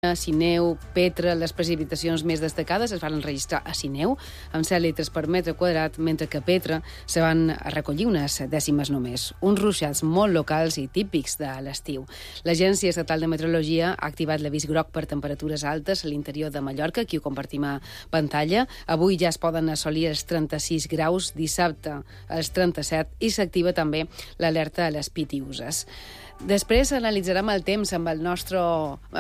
Sineu, Petra, les precipitacions més destacades es van registrar a Sineu, amb 7 litres per metre quadrat, mentre que a Petra se van recollir unes dècimes només. Uns ruixats molt locals i típics de l'estiu. L'Agència Estatal de Meteorologia ha activat l'avís groc per temperatures altes a l'interior de Mallorca, aquí ho compartim a pantalla. Avui ja es poden assolir els 36 graus, dissabte els 37, i s'activa també l'alerta a les Pitiüses. Després analitzarem el temps amb el nostre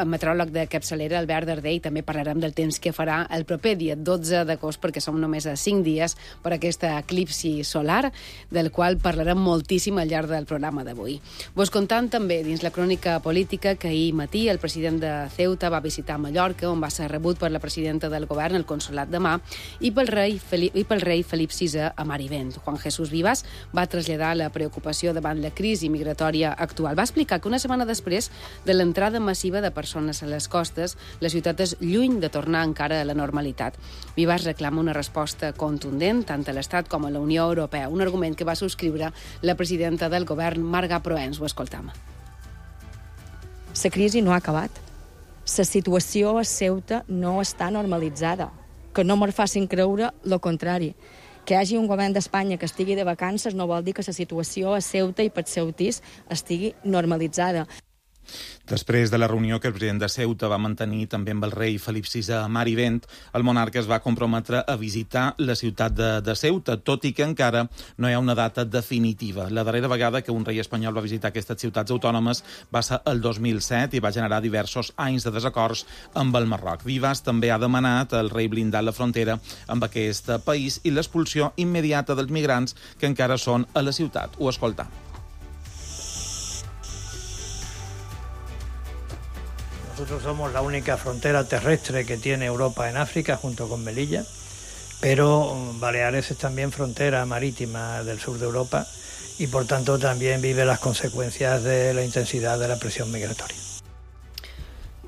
meteoròleg de capçalera, Albert Dardé, i també parlarem del temps que farà el proper dia 12 d'agost, perquè som només a 5 dies per aquesta eclipsi solar, del qual parlarem moltíssim al llarg del programa d'avui. Vos contant també dins la crònica política que ahir matí el president de Ceuta va visitar Mallorca, on va ser rebut per la presidenta del govern, el consolat de Mà, i pel rei Felip VI a Marivent. Juan Jesús Vivas va traslladar la preocupació davant la crisi migratòria actual. Va explicar que una setmana després de l'entrada massiva de persones a les costes, la ciutat és lluny de tornar encara a la normalitat. Vivas reclama una resposta contundent tant a l'Estat com a la Unió Europea, un argument que va subscriure la presidenta del govern, Marga Proens. Ho escoltam. La crisi no ha acabat. La situació a Ceuta no està normalitzada. Que no me'n facin creure el contrari. Que hi hagi un govern d'Espanya que estigui de vacances no vol dir que la situació a Ceuta i pels ceutís estigui normalitzada. Després de la reunió que el president de Ceuta va mantenir també amb el rei Felip VI a Marivent, el monarca es va comprometre a visitar la ciutat de Ceuta, tot i que encara no hi ha una data definitiva. La darrera vegada que un rei espanyol va visitar aquestes ciutats autònomes va ser el 2007 i va generar diversos anys de desacords amb el Marroc. Vivas també ha demanat al rei blindar la frontera amb aquest país i l'expulsió immediata dels migrants que encara són a la ciutat. Ho escoltam. Nosotros somos la única frontera terrestre que tiene Europa en África, junto con Melilla, pero Baleares es también frontera marítima del sur de Europa y, por tanto, también vive las consecuencias de la intensidad de la presión migratoria.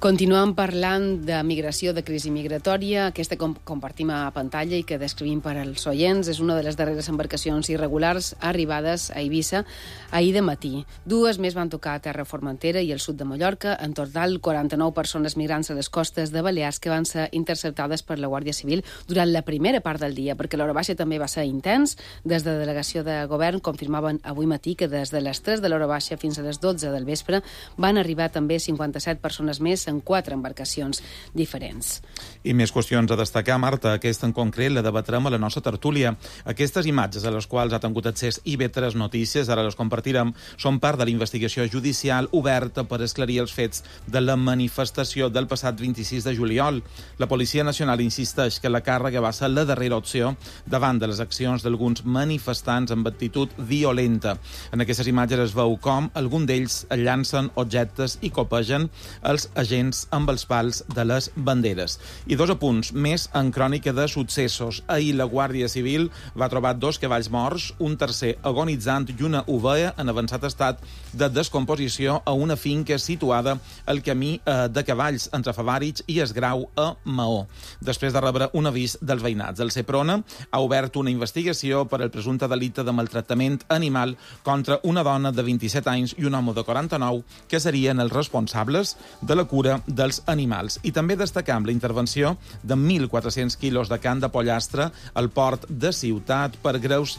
Continuem parlant de migració, de crisi migratòria, aquesta que compartim a pantalla i que descrivim per als oients. És una de les darreres embarcacions irregulars arribades a Eivissa ahir de matí. 2 més van tocar a terra Formentera i el sud de Mallorca. En total, 49 persones migrants a les costes de Balears que van ser interceptades per la Guàrdia Civil durant la primera part del dia, perquè l'hora baixa també va ser intens. Des de la delegació de govern confirmaven avui matí que des de les 3 de l'hora baixa fins a les 12 del vespre van arribar també 57 persones més en 4 embarcacions diferents. I més qüestions a destacar, Marta. Aquesta en concret la debatrem a la nostra tertúlia. Aquestes imatges a les quals ha tingut accés IB3 Notícies, ara les compartirem, són part de la investigació judicial oberta per esclarir els fets de la manifestació del passat 26 de juliol. La Policia Nacional insisteix que la càrrega va ser la darrera opció davant de les accions d'alguns manifestants amb actitud violenta. En aquestes imatges es veu com alguns d'ells llancen objectes i copegen els agents amb els pals de les banderes. I 2 apunts més en crònica de successos. Ahir la Guàrdia Civil va trobar 2 cavalls morts, un tercer agonitzant i una ovella en avançat estat de descomposició a una finca situada al camí de cavalls entre Favàrits i Esgrau a Maó. Després de rebre un avís dels veïnats, el Seprona ha obert una investigació per al presumpte delicte de maltractament animal contra una dona de 27 anys i un home de 49 que serien els responsables de la cura dels animals. I també destacam la intervenció de 1.400 quilos de carn de pollastre al port de Ciutat per greus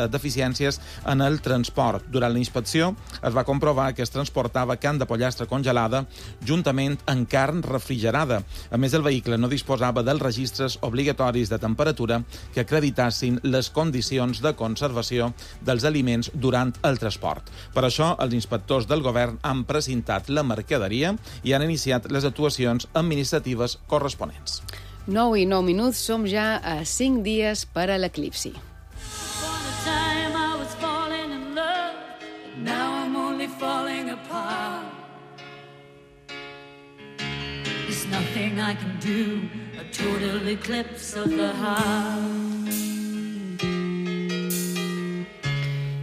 deficiències en el transport. Durant la inspecció es va comprovar que es transportava carn de pollastre congelada juntament amb carn refrigerada. A més, el vehicle no disposava dels registres obligatoris de temperatura que acreditassin les condicions de conservació dels aliments durant el transport. Per això, els inspectors del govern han precintat la mercaderia i han iniciat les actuacions administratives corresponents. 9 i 9 minuts, som ja a 5 dies per a l'eclipsi. There's nothing I can do, a total eclipse of the heart.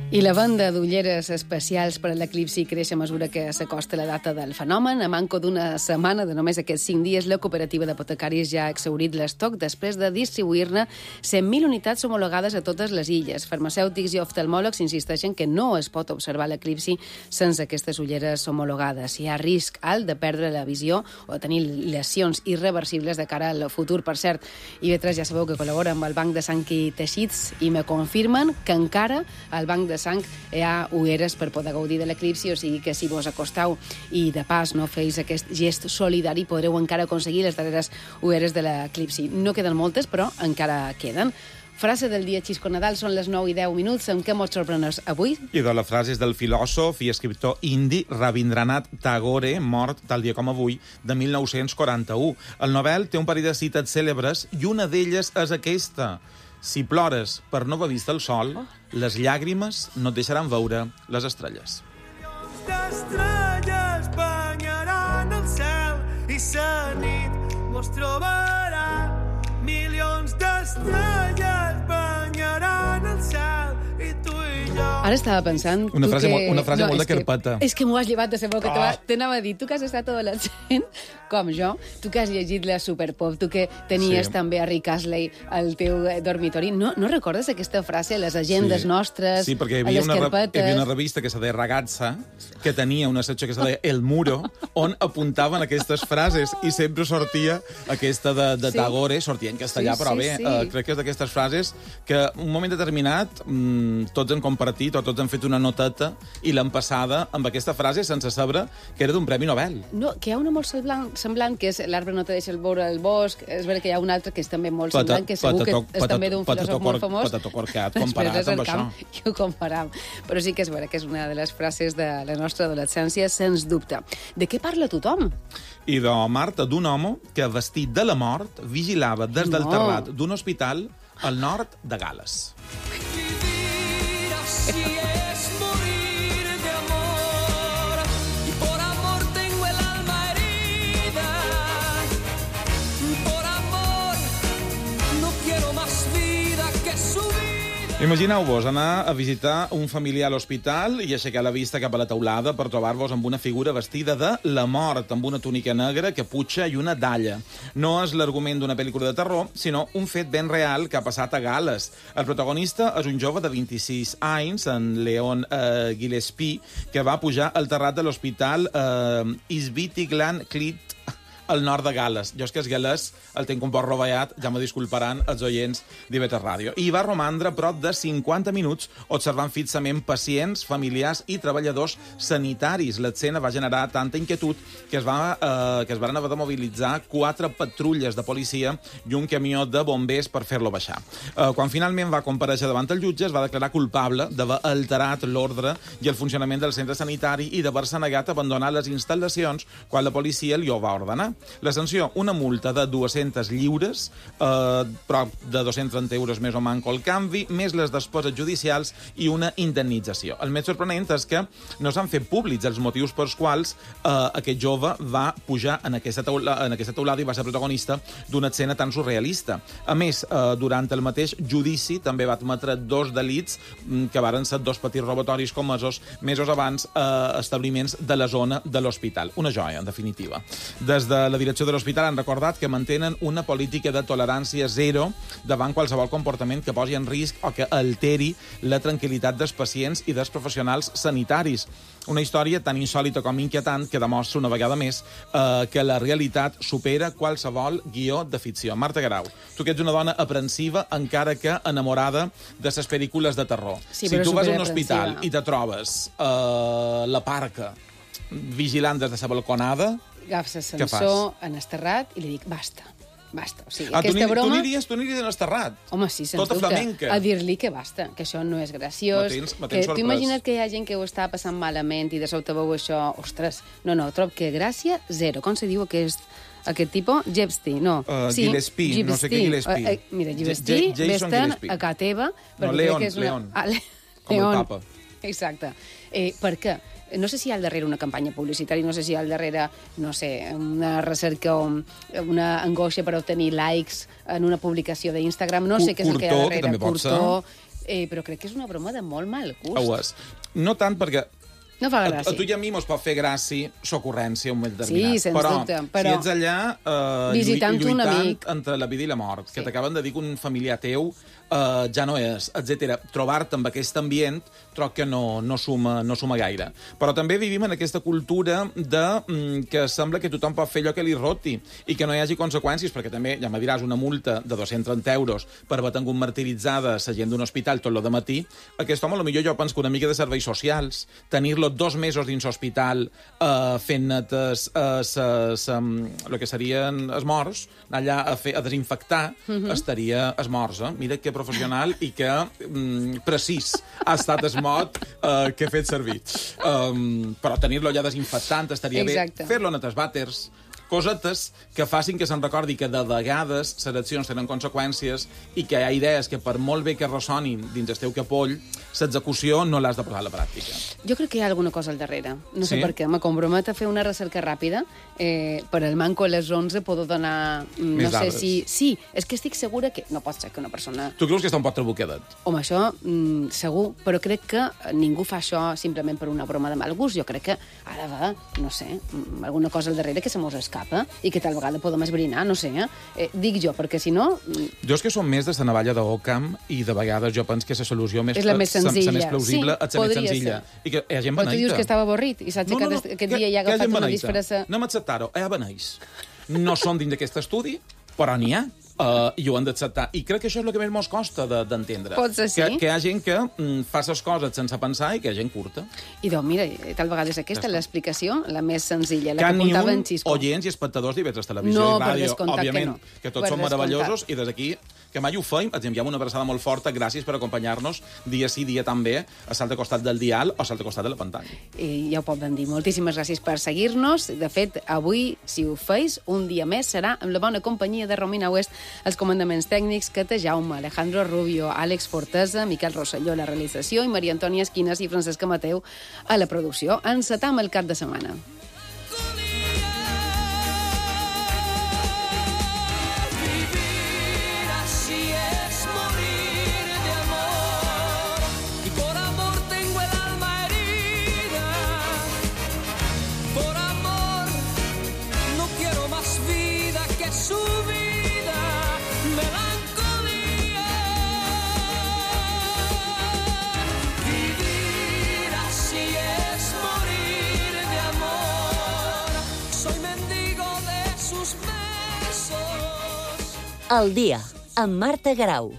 I la venda d'ulleres especials per a l'eclipsi creix a mesura que s'acosta la data del fenomen. A manco d'una setmana, de només aquests 5 dies, la cooperativa d'apotecaris ja ha exhaurit l'estoc després de distribuir-ne 100.000 unitats homologades a totes les illes. Farmacèutics i oftalmòlegs insisteixen que no es pot observar l'eclipsi sense aquestes ulleres homologades. Hi ha risc alt de perdre la visió o de tenir lesions irreversibles de cara al futur. Per cert, IB3 ja sabeu que col·labora amb el Banc de Sang i Teixits i me confirmen que encara al Banc de Sang hi ha ulleres per poder gaudir de l'eclipsi, o sigui que si vos acostau i de pas no feis aquest gest solidari podreu encara aconseguir les darreres ulleres de l'eclipsi. No queden moltes, però encara queden. Frase del dia Xisco Nadal, són les 9:10. Amb què mos sorprenes avui? I de la frase és del filòsof i escriptor indi Rabindranath Tagore, mort tal dia com avui, de 1941. El Nobel té un parell de cites cèlebres i una d'elles és aquesta. Si plores per no haver vist el sol, les llàgrimes no et deixaran veure les estrelles. Milions d'estrelles banyaran el cel i la nit mos trobarà. Milions d'estrelles banyaran el cel i tu i jo. Ara estava pensant... Una frase molt de carpeta. És que m'ho has llevat de saber que t'anava a dir. Tu que has estat adolescent, com jo, tu que has llegit la Superpop, tu que tenies també a Rick Astley al teu dormitori, no recordes aquesta frase a les agendes nostres, sí, perquè a les carpetes? Hi havia una revista que se deia Ragazza, que tenia una secció que se deia El Muro, on apuntaven aquestes frases i sempre sortia aquesta de Tagore, sortia en castellà, però bé, crec que és d'aquestes frases que un moment determinat tots han compartit o tots han fet una noteta i l'han passada amb aquesta frase sense saber que era d'un Premi Nobel. No, que hi ha una molt semblant, que és L'arbre no te deixa veure el bosc. És vera que hi ha un altre que és també molt semblant, que segur que és també d'un filòsof molt famós. Patato corcat, comparat amb això. I ho comparam. Però sí que és vera que és una de les frases de la nostra adolescència, sens dubte. De què parla tothom? I de Marta, d'un home que, vestit de la mort, vigilava des del terrat d'un hospital al nord de Gales. Vivir así es morir de amor y por amor tengo el alma herida. Por amor no quiero más vida que su vida. Imagineu-vos anar a visitar un familiar a l'hospital i aixecar la vista cap a la teulada per trobar-vos amb una figura vestida de la mort, amb una túnica negra, caputxa i una dalla. No és l'argument d'una pel·lícula de terror, sinó un fet ben real que ha passat a Gales. El protagonista és un jove de 26 anys, en Leon Gillespie, que va pujar al terrat de l'hospital Isbiti-Glan Clit, al nord de Gales. Jo és que és galès, el tinc un poc rovellat, ja me disculparan els oients d'IB3 Ràdio. I va romandre prop de 50 minuts observant fixament pacients, familiars i treballadors sanitaris. L'escena va generar tanta inquietud que es van haver de mobilitzar 4 patrulles de policia i un camió de bombers per fer-lo baixar. Quan finalment va comparèixer davant el jutge, es va declarar culpable d'haver alterat l'ordre i el funcionament del centre sanitari i d'haver-se negat a abandonar les instal·lacions quan la policia li ho va ordenar. La sanció, una multa de 200 lliures, prop de 230 euros més o manco el canvi, més les despeses judicials i una indemnització. El més sorprenent és que no s'han fet públics els motius pels quals aquest jove va pujar en aquesta teulada i va ser protagonista d'una escena tan surrealista. A més, durant el mateix judici també va admetre 2 delits que varen ser 2 petits robatoris comesos mesos abans a establiments de la zona de l'hospital. Una joia, en definitiva. Des de la direcció de l'hospital han recordat que mantenen una política de tolerància zero davant qualsevol comportament que posi en risc o que alteri la tranquil·litat dels pacients i dels professionals sanitaris. Una història tan insòlita com inquietant que demostra una vegada més que la realitat supera qualsevol guió de ficció. Marta Guerau, tu que ets una dona aprensiva encara que enamorada de les pel·lícules de terror. Sí, si tu vas a un superaprensiva. hospital i te trobes la parca vigilant des de la balconada, Agafes l'ascensor en el terrat i li dic, basta. O sigui, tu aquesta broma... Tu aniries en el terrat? Home, sí, sens Tota dubte. flamenca. A dir-li que basta, que això no és graciós. Me tens Que sorprès. tu imagina't que hi ha gent que ho està passant malament i de sobte veu això... Ostres, no, trob que gràcia zero. Com se diu aquest tipus? Gillespie, no. Gillespie, no sé què Gillespie. Mira, Gillespie, Jason vés-te'n Gillespie. a casa teva... No, Leon. Com el papa. Exacte. Per què? No sé si hi ha al darrere una campanya publicitària, no sé si hi ha al darrere, no sé, una recerca o una angoixa per obtenir likes en una publicació d'Instagram, no sé què és el que hi ha darrere. Que també pot ser. però crec que és una broma de molt mal gust. Ho és. No tant perquè... No fa gràcia. A tu i a mi mos pot fer gràcia l'ocurrència un moment determinat. Sí, sens dubte. Però si ets allà visitant un amic entre la vida i la mort, que t'acaben de dir que un familiar teu ja no és, etc. Trobar-te amb aquest ambient troc que no suma gaire. Però també vivim en aquesta cultura que sembla que tothom pot fer allò que li roti i que no hi hagi conseqüències, perquè també, ja me diràs, una multa de 230 euros per haver tingut martiritzada la gent d'un hospital tot lo de matí. Aquest home, potser jo penso que una mica de serveis socials, tenir-lo 2 mesos dins l'hospital fent netes el que serien els morts, anar allà a desinfectar, estaria els morts. Mira que professional i que precís ha estat el mot que he fet servir. Però tenir-lo allà desinfectant estaria bé. Fer-lo en els vàters, cosetes que facin que se'n recordi que de vegades les accions tenen conseqüències i que hi ha idees que per molt bé que ressonin dins el teu capoll, l'execució no l'has de posar a la pràctica. Jo crec que hi ha alguna cosa al darrere. No sé per què. Me compromet a fer una recerca ràpida. Per al manco a les 11 puedo donar... Més dades. Sí, és que estic segura que no pot ser que una persona... Tu creus que està un poc trabucadet? Home, això segur, però crec que ningú fa això simplement per una broma de mal gust. Jo crec que ara va, no sé, alguna cosa al darrere que se mos escapa i que tal vegada podem esbrinar, no sé. Dic jo, perquè si no... Jo és que som més de la navalla d'Occam i de vegades jo penso que la solució més... És la més senzilla. La més plausible, és la més senzilla. I que hi ha gent beneita. Però tu dius que estava avorrit i s'ha aixecat aquest dia i ha agafat una disfressa... No m'acceptar-ho, hi ha beneix. No són dins d'aquest estudi, però n'hi ha. I ho han d'acceptar. I crec que això és el que més mos costa d'entendre. Pot ser, sí. Que hi ha gent que fa les coses sense pensar i que hi ha gent curta. I doncs, mira, tal vegada és aquesta l'explicació, la més senzilla, la que apuntava en Xisco. Oients i espectadors d'Ivetres Televisió i Ràdio, òbviament, que tots són meravellosos, i des d'aquí, que mai ho feim, ens enviem una abraçada molt forta, gràcies per acompanyar-nos dia sí, dia també, a l'altre costat del dial o a l'altre costat de la pantalla. I ja ho poden dir. Moltíssimes gràcies per seguir-nos. De fet, avui, si ho feis, un dia més serà amb la bona companyia de Romina West, els comandaments tècnics, Cata Jaume, Alejandro Rubio, Àlex Fortesa, Miquel Rosselló a la realització i Maria Antònia Esquinas i Francesca Mateu a la producció. Encetam el cap de setmana. El dia, amb Marta Garau.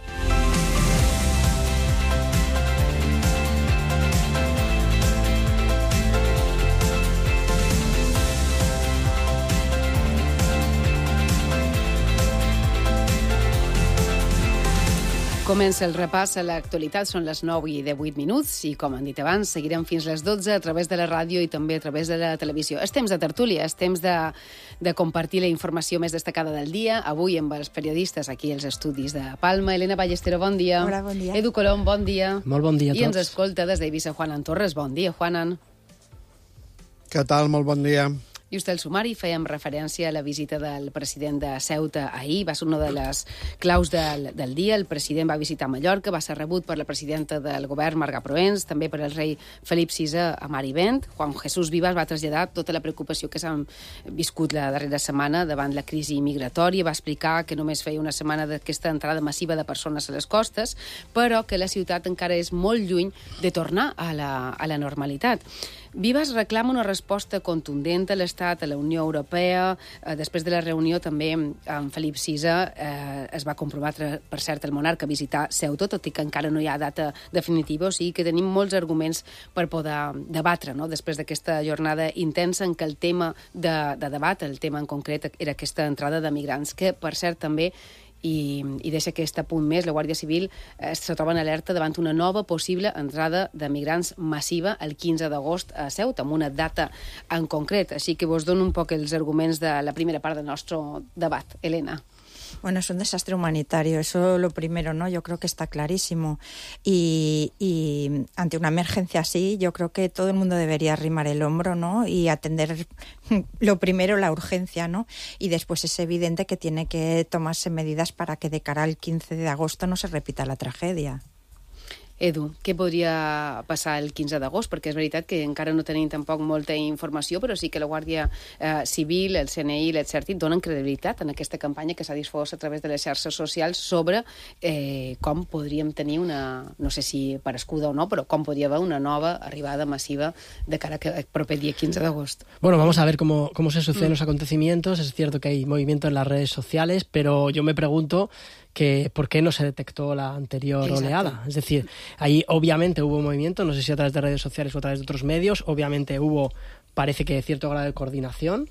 Comença el repàs a l'actualitat, són les 9 i 18 minuts i, com han dit abans, seguirem fins les 12 a través de la ràdio i també a través de la televisió. És temps de tertúlia, és temps de compartir la informació més destacada del dia, avui amb els periodistes aquí als estudis de Palma. Elena Ballestero, bon dia. Hola, bon dia. Edu Colom, bon dia. Molt bon dia a tots. I ens escolta des d'Eivissa Juanan Torres. Bon dia, Juanan. Què tal? Molt bon dia. Just el sumari, fèiem referència a la visita del president de Ceuta ahir, va ser una de les claus del dia. El president va visitar Mallorca, va ser rebut per la presidenta del govern, Marga Proens, també per el rei Felip VI a Marivent. Juan Jesús Vivas va traslladar tota la preocupació que s'han viscut la darrera setmana davant la crisi migratòria, va explicar que només feia una setmana d'aquesta entrada massiva de persones a les costes, però que la ciutat encara és molt lluny de tornar a la normalitat. Vivas reclama una resposta contundent a l'Estat, a la Unió Europea. Després de la reunió també amb Felip VI es va comprometre, per cert, el monarca a visitar Ceuta, tot i que encara no hi ha data definitiva, o sigui que tenim molts arguments per poder debatre, no? Després d'aquesta jornada intensa en què el tema de debat, el tema en concret, era aquesta entrada de migrants, que, per cert, també i deixa aquest apunt més, la Guàrdia Civil se troba en alerta davant una nova possible entrada de migrants massiva el 15 d'agost a Ceuta, amb una data en concret. Així que vos dono un poc els arguments de la primera part del nostre debat. Elena. Bueno, es un desastre humanitario, eso lo primero, ¿no? Yo creo que está clarísimo. Y ante una emergencia así, yo creo que todo el mundo debería arrimar el hombro, ¿no? Y atender lo primero, la urgencia, ¿no? Y después es evidente que tiene que tomarse medidas para que de cara al 15 de agosto no se repita la tragedia. Edu, què podria passar el 15 d'agost? Perquè és veritat que encara no tenim tampoc molta informació, però sí que la Guàrdia Civil, el CNI i l'Exèrcit donen credibilitat en aquesta campanya que s'ha difós a través de les xarxes socials sobre com podríem tenir una, no sé si parescuda o no, però com podria haver una nova arribada massiva de cara al proper día 15 de agosto. Bueno, vamos a ver cómo se suceden los acontecimientos. Es cierto que hay movimiento en las redes sociales, pero yo me pregunto que por qué no se detectó la anterior oleada. Es decir, ahí obviamente hubo movimiento, no sé si a través de redes sociales o a través de otros medios, obviamente hubo, parece que cierto grado de coordinación,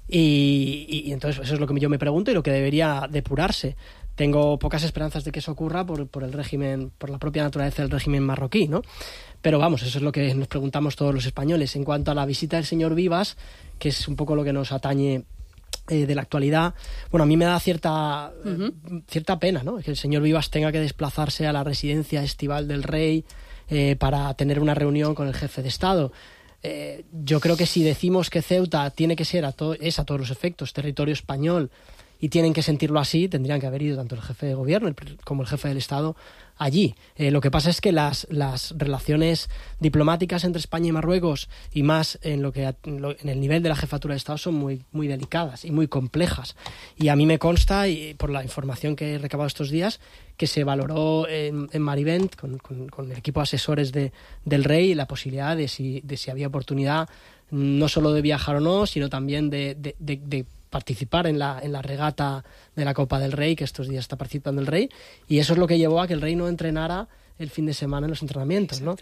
y entonces eso es lo que yo me pregunto y lo que debería depurarse. Tengo pocas esperanzas de que eso ocurra por el régimen, por la propia naturaleza del régimen marroquí, ¿no? Pero vamos, eso es lo que nos preguntamos todos los españoles. En cuanto a la visita del señor Vivas, que es un poco lo que nos atañe de la actualidad, bueno, a mí me da cierta pena, ¿no? Que el señor Vivas tenga que desplazarse a la residencia estival del rey para tener una reunión con el jefe de Estado. Yo creo que si decimos que Ceuta tiene que ser es a todos los efectos territorio español y tienen que sentirlo así, tendrían que haber ido tanto el jefe de gobierno como el jefe del Estado allí. Lo que pasa es que las relaciones diplomáticas entre España y Marruecos, y más en el nivel de la jefatura de Estado, son muy, muy delicadas y muy complejas. Y a mí me consta, y por la información que he recabado estos días, que se valoró en Marivent con el equipo de asesores del rey la posibilidad de si había oportunidad no solo de viajar o no, sino también de participar en la regata de la Copa del Rey, que estos días está participando el rey, y eso es lo que llevó a que el rey no entrenara el fin de semana en los entrenamientos, ¿no?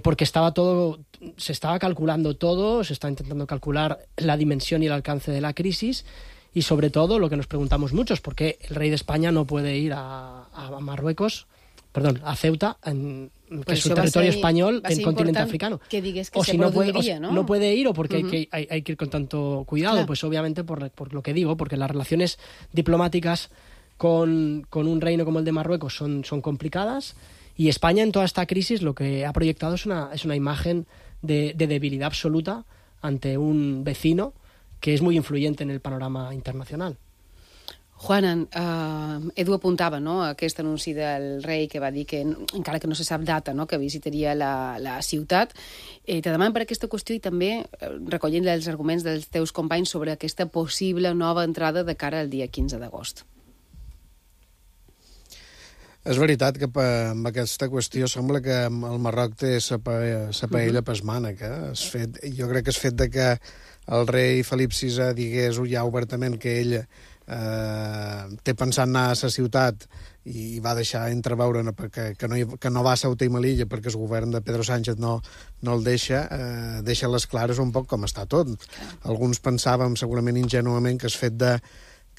Porque se estaba calculando todo, se estaba intentando calcular la dimensión y el alcance de la crisis, y sobre todo lo que nos preguntamos muchos, ¿por qué el rey de España no puede ir a Ceuta, que es un territorio español del continente africano? Que digues que o se si produiría, ¿no? No puede ir, o porque hay que ir con tanto cuidado. Claro. Pues obviamente por lo que digo, porque las relaciones diplomáticas con un reino como el de Marruecos son complicadas, y España en toda esta crisis lo que ha proyectado es una imagen de debilidad absoluta ante un vecino que és molt influent en el panorama internacional. Juanan, Edu apuntava, no?, aquest anunci del rei que va dir que, encara que no se sap data, no?, que visitaria la ciutat. Te demanen per aquesta qüestió i també recollint els arguments dels teus companys sobre aquesta possible nova entrada de cara al dia 15 d'agost. És veritat que amb aquesta qüestió sembla que el Marroc té sa paella pas mànec. Jo crec que és fet de que el rei Felip VI digués ja obertament que ell té pensat anar a la ciutat i va deixar entreveure que no va a Ceuta i Melilla perquè el govern de Pedro Sánchez no el deixa les clares un poc com està tot. Alguns pensàvem segurament ingenuament que el fet de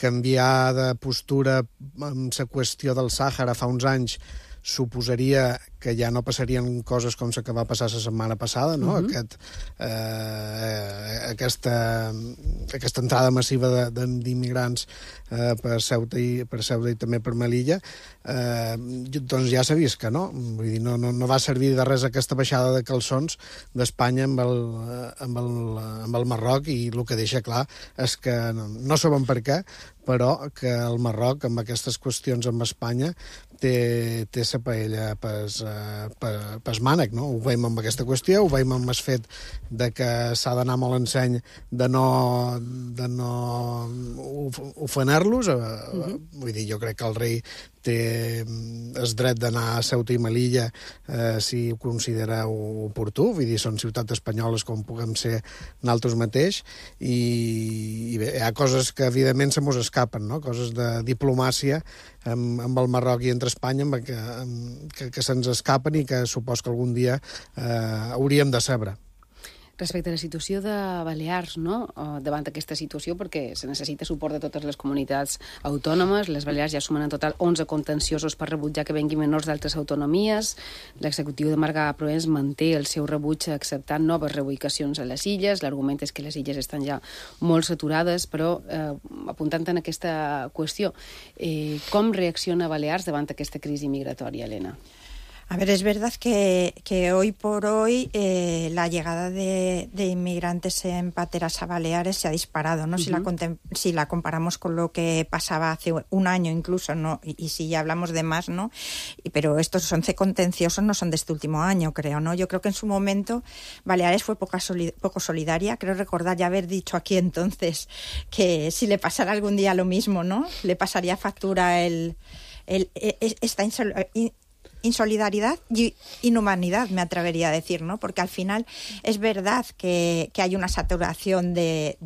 canviar de postura amb la qüestió del Sàhara fa uns anys suposaria que ja no passarien coses com la que va passar la setmana passada, no? Aquesta entrada massiva d'immigrants per Ceuta i també per Melilla, doncs ja s'ha vist que no. Vull dir, no va servir de res aquesta baixada de calçons d'Espanya amb el Marroc, i el que deixa clar és que no sabem per què, però que el Marroc, amb aquestes qüestions amb Espanya, té sa paella pas mànec, no? Ho veiem amb aquesta qüestió, ho veiem amb el fet de que s'ha d'anar molt en seny de no ofenar-los. Vull dir, jo crec que el rei té el dret d'anar a Ceuta i Melilla si ho considera oportú. Vull dir, són ciutats espanyoles com puguem ser nosaltres mateix, i bé, hi ha coses que evidentment se mos escapen, no? Coses de diplomàcia amb el Marroc i entre Espanya que se'ns escapen i que supos que algun dia hauríem de saber. Respecte a la situació de Balears, no?, davant aquesta situació, perquè se necessita suport de totes les comunitats autònomes. Les Balears ja sumen en total 11 contenciosos per rebutjar que venguin menors d'altres autonomies. L'executiu de Marga Proens manté el seu rebuig acceptant noves reubicacions a les illes. L'argument és que les illes estan ja molt saturades, però apuntant en aquesta qüestió, com reacciona Balears davant aquesta crisi migratòria, Helena? A ver, es verdad que hoy por hoy la llegada de inmigrantes en pateras a Baleares se ha disparado, ¿no? Si la comparamos con lo que pasaba hace un año incluso, ¿no? Y si ya hablamos de más, ¿no? Pero estos 11 contenciosos no son de este último año, creo, ¿no? Yo creo que en su momento Baleares fue poco solidaria. Creo recordar ya haber dicho aquí entonces que si le pasara algún día lo mismo, ¿no? Le pasaría factura esta insolidaridad y inhumanidad, me atrevería a decir, ¿no? Porque al final es verdad que hay una saturación de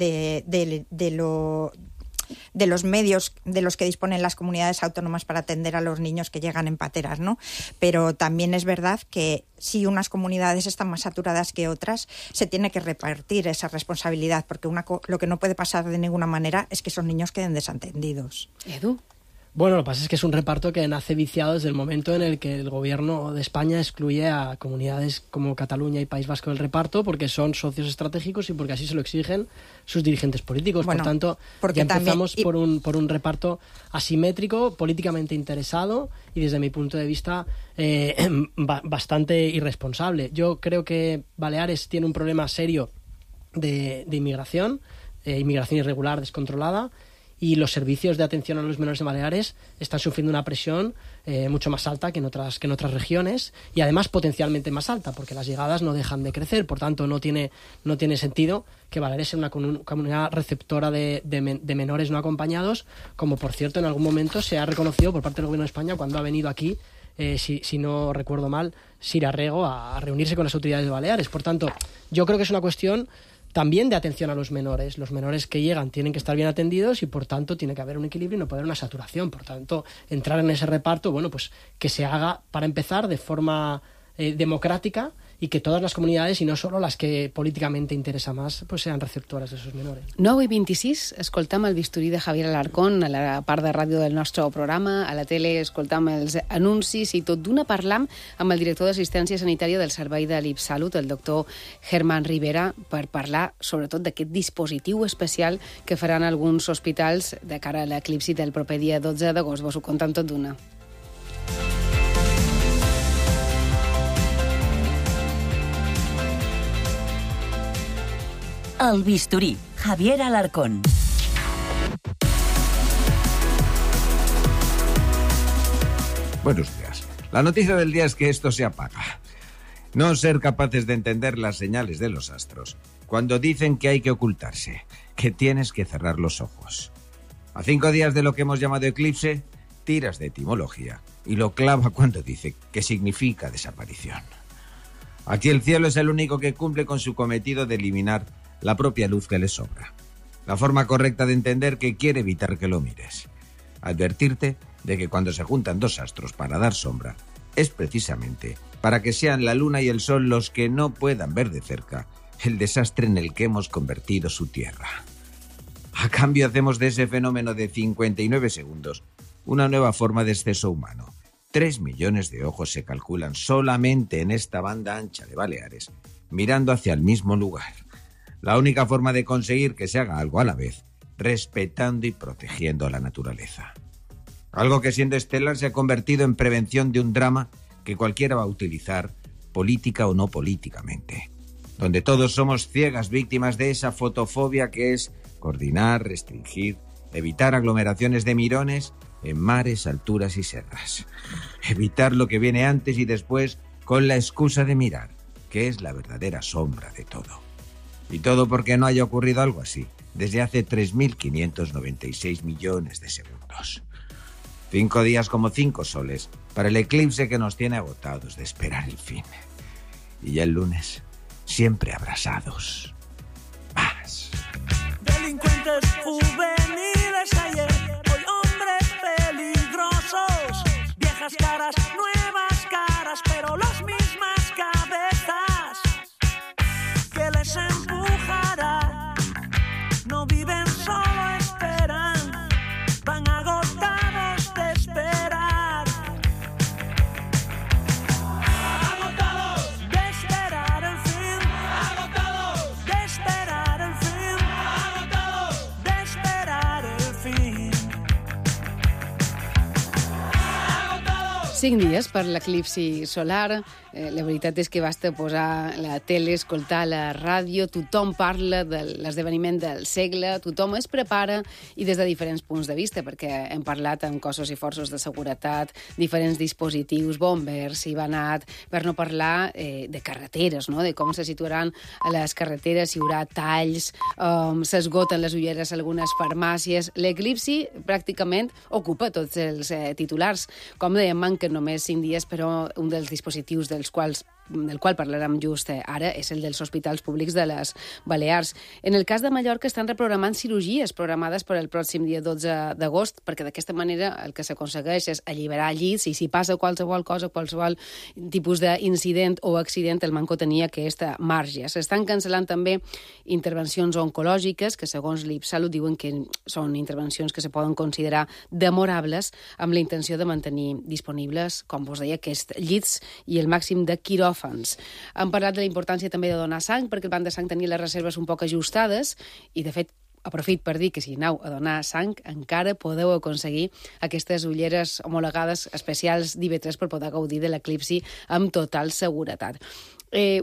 los medios de los que disponen las comunidades autónomas para atender a los niños que llegan en pateras, ¿no? Pero también es verdad que si unas comunidades están más saturadas que otras, se tiene que repartir esa responsabilidad, porque lo que no puede pasar de ninguna manera es que esos niños queden desatendidos. Edu. Bueno, lo que pasa es que es un reparto que nace viciado desde el momento en el que el gobierno de España excluye a comunidades como Cataluña y País Vasco del reparto, porque son socios estratégicos y porque así se lo exigen sus dirigentes políticos. Bueno, por tanto, ya empezamos por un reparto asimétrico, políticamente interesado y desde mi punto de vista bastante irresponsable. Yo creo que Baleares tiene un problema serio de inmigración irregular, descontrolada, y los servicios de atención a los menores de Baleares están sufriendo una presión mucho más alta que en otras regiones, y además potencialmente más alta, porque las llegadas no dejan de crecer. Por tanto, no tiene sentido que Baleares sea una comunidad receptora de menores no acompañados, como por cierto en algún momento se ha reconocido por parte del Gobierno de España cuando ha venido aquí, si no recuerdo mal, Sira Rego a reunirse con las autoridades de Baleares. Por tanto, yo creo que es una cuestión también de atención a los menores. Los menores que llegan tienen que estar bien atendidos y, por tanto, tiene que haber un equilibrio y no puede haber una saturación. Por tanto, entrar en ese reparto, bueno, pues que se haga, para empezar, de forma democrática, y que todas las comunidades, y no solo las que políticamente interesa más, pues sean receptores de esos menores. 9:26, escoltam el bisturí de Javier Alarcón a la part de ràdio del nostre programa, a la tele escoltam els anuncis, i tot d'una parlam amb el director d'assistència sanitària del servei de l'IPSalut, el doctor Germán Rivera, per parlar sobretot d'aquest dispositiu especial que faran alguns hospitals de cara a l'eclipsi del proper dia 12 d'agost. Vos ho contam tot d'una. El bisturí, Javier Alarcón. Buenos días. La noticia del día es que esto se apaga. No ser capaces de entender las señales de los astros cuando dicen que hay que ocultarse, que tienes que cerrar los ojos. A 5 días de lo que hemos llamado eclipse, tiras de etimología y lo clava cuando dice que significa desaparición. Aquí el cielo es el único que cumple con su cometido de eliminar la propia luz que le sobra. La forma correcta de entender que quiere evitar que lo mires. Advertirte de que cuando se juntan dos astros para dar sombra, es precisamente para que sean la luna y el sol los que no puedan ver de cerca el desastre en el que hemos convertido su tierra. A cambio hacemos de ese fenómeno de 59 segundos una nueva forma de exceso humano. 3 millones de ojos se calculan solamente en esta banda ancha de Baleares, mirando hacia el mismo lugar. La única forma de conseguir que se haga algo a la vez, respetando y protegiendo a la naturaleza. Algo que, siendo estelar, se ha convertido en prevención de un drama que cualquiera va a utilizar, política o no políticamente. Donde todos somos ciegas víctimas de esa fotofobia que es coordinar, restringir, evitar aglomeraciones de mirones en mares, alturas y serras. Evitar lo que viene antes y después con la excusa de mirar, que es la verdadera sombra de todo. Y todo porque no haya ocurrido algo así desde hace 3.596 millones de segundos. 5 días como 5 soles para el eclipse que nos tiene agotados de esperar el fin. Y ya el lunes, siempre abrazados. Paz. Delincuentes juveniles ayer, hoy hombres peligrosos, viejas caras, nuevas caras, pero las mismas cabezas que les empujará. No viven, solo esperan, van agotados de esperar. Agotados de esperar el fin. Agotados de esperar el fin. Agotados de esperar. 5 dies per l'eclipsi solar. La veritat és que basta posar la tele, escoltar la ràdio, tothom parla de l'esdeveniment del segle, tothom es prepara i des de diferents punts de vista, perquè hem parlat amb cossos i forces de seguretat, diferents dispositius, bombers, Ivanat, per no parlar de carreteres, no? De com se situaran a les carreteres, si hi haurà talls, s'esgoten les ulleres a algunes farmàcies. L'eclipsi pràcticament ocupa tots els titulars. Com dèiem, manquen només 5 dies, però un dels dispositius del qual parlarem just ara és el dels hospitals públics de les Balears. En el cas de Mallorca estan reprogramant cirurgies programades per al pròxim dia 12 d'agost, perquè d'aquesta manera el que s'aconsegueix és alliberar llits i si passa qualsevol cosa, qualsevol tipus d'incident o accident, el manco tenia aquest marge. S'estan cancel·lant també intervencions oncològiques, que segons l'IPSalut diuen que són intervencions que se poden considerar demorables, amb la intenció de mantenir disponibles, com vos deia, aquests llits i el màxim de quiròfans. Han parlat de la importància també de donar sang, perquè el banc de sang tenia les reserves un poc ajustades i, de fet, aprofit per dir que si aneu a donar sang encara podeu aconseguir aquestes ulleres homologades especials d'IV3 per poder gaudir de l'eclipsi amb total seguretat.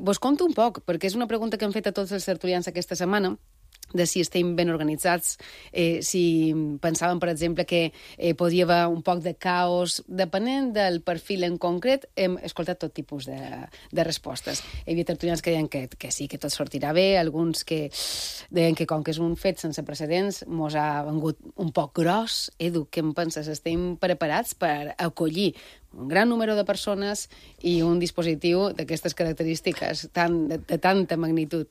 Vos conto un poc, perquè és una pregunta que hem fet a tots els tertulians aquesta setmana, de si estem ben organitzats, si pensàvem, per exemple, que podia haver un poc de caos. Depenent del perfil en concret, hem escoltat tot tipus de respostes. Hi havia tertulians que deien que sí, que tot sortirà bé, alguns que deien que com que és un fet sense precedents, mos ha vengut un poc gros. Edu, què en penses? Estem preparats per acollir un gran número de persones i un dispositiu d'aquestes característiques de tanta magnitud?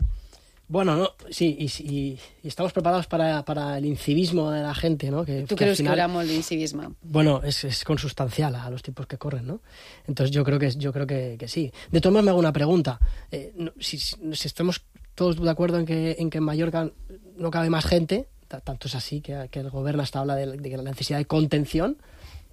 Bueno, no, sí, y estamos preparados para el incivismo de la gente, ¿no? ¿Tú crees que habrá molt d'incivisme? Bueno, es consustancial a los tiempos que corren, ¿no? Entonces yo creo que sí. De todas maneras me hago una pregunta. Si estamos todos de acuerdo en que en Mallorca no cabe más gente, tanto es así que el gobierno hasta habla de la necesidad de contención,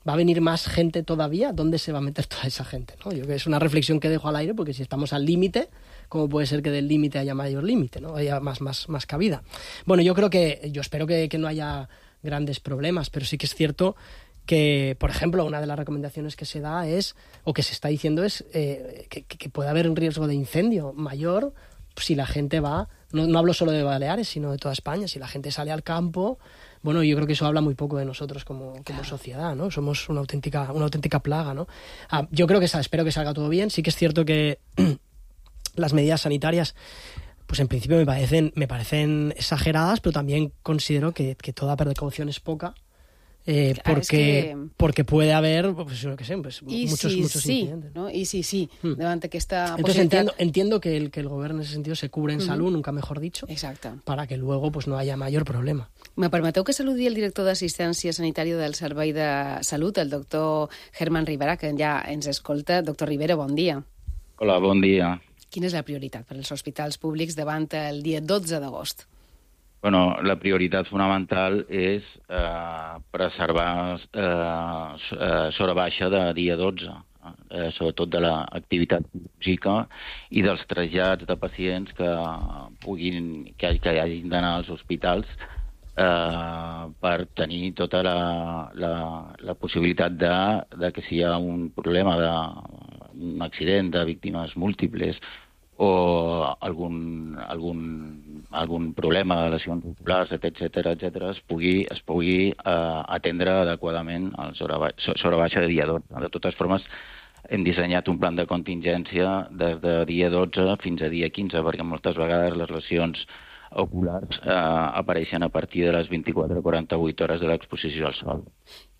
¿va a venir más gente todavía? ¿Dónde se va a meter toda esa gente, ¿no? Yo creo que es una reflexión que dejo al aire, porque si estamos al límite, ¿cómo puede ser que del límite haya mayor límite, ¿no? Haya más cabida? Bueno, yo espero que no haya grandes problemas, pero sí que es cierto que, por ejemplo, una de las recomendaciones que se da es, o que se está diciendo es, que puede haber un riesgo de incendio mayor si la gente va, no hablo solo de Baleares, sino de toda España, si la gente sale al campo. Bueno, yo creo que eso habla muy poco de nosotros como sociedad, ¿no? Somos una auténtica plaga, ¿no? Yo creo que espero que salga todo bien. Sí que es cierto que las medidas sanitarias, pues en principio me parecen exageradas, pero también considero que toda precaución es poca, porque puede haber, pues no sé, pues muchos incidentes. ¿no? Y sí, davant aquesta Entonces possibilitat... entiendo que el gobierno en ese sentido se cubre en salud, nunca mejor dicho, Exacte. para que luego pues no haya mayor problema. Me permeteu que saludi el director d'assistència sanitària del Servei de Salut, el doctor Germán Rivera, que ja ens escolta. Doctor Rivera, bon dia. Hola, bon dia. Quina és la prioritat per als hospitals públics davant el dia 12 d'agost? Bueno, la prioritat fonamental és preservar s'hora baixa de dia 12, sobretot de l'activitat física i dels trasllats de pacients que hagin d'anar als hospitals per tenir tota la possibilitat de que si hi ha un problema d'un accident de víctimes múltiples o algun problema de lesions oculars, etc., es pugui atendre adequadament a l'hora baixa de dia 12. De totes formes, hem dissenyat un plan de contingència des de dia 12 fins a dia 15, perquè moltes vegades les lesions oculars apareixen a partir de les 24-48 hores de l'exposició al sol.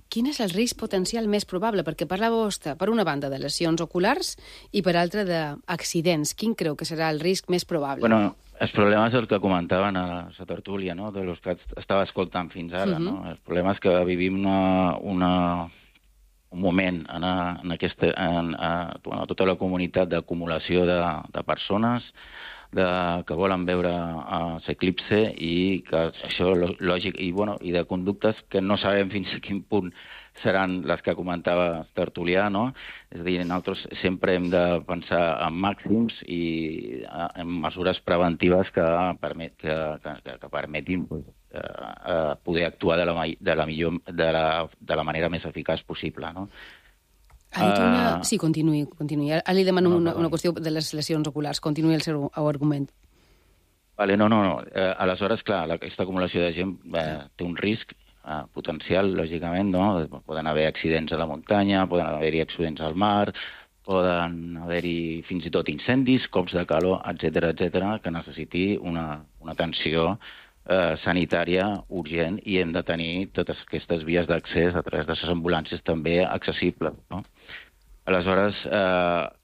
Quin és el risc potencial més probable? Perquè parlàveu, per una banda, de lesions oculars i per altra d'accidents. Quin creu que serà el risc més probable? Bueno, el problema és el que comentaven a la tertúlia, no?, de los que estava escoltant fins ara, no? El problema és que vivim un moment en tota la comunitat d'acumulació de persones que volen veure l'eclipse i que això lògic i de conductes que no sabem fins a quin punt seran les que comentava Tertulià, no? És a dir, nosaltres sempre hem de pensar en màxims i en mesures preventives que permetin poder actuar de la manera més eficaç possible, no? Sí, continuï. Ara li demano una qüestió de les lesions oculars. Continuï el seu argument. Vale, no. Aleshores, clar, aquesta acumulació de gent té un risc potencial, lògicament, no? Poden haver accidents a la muntanya, poden haver-hi accidents al mar, poden haver-hi fins i tot incendis, cops de calor, etc, que necessiti una atenció sanitària urgent i hem de tenir totes aquestes vies d'accés a través de les ambulàncies també accessibles, no? Aleshores,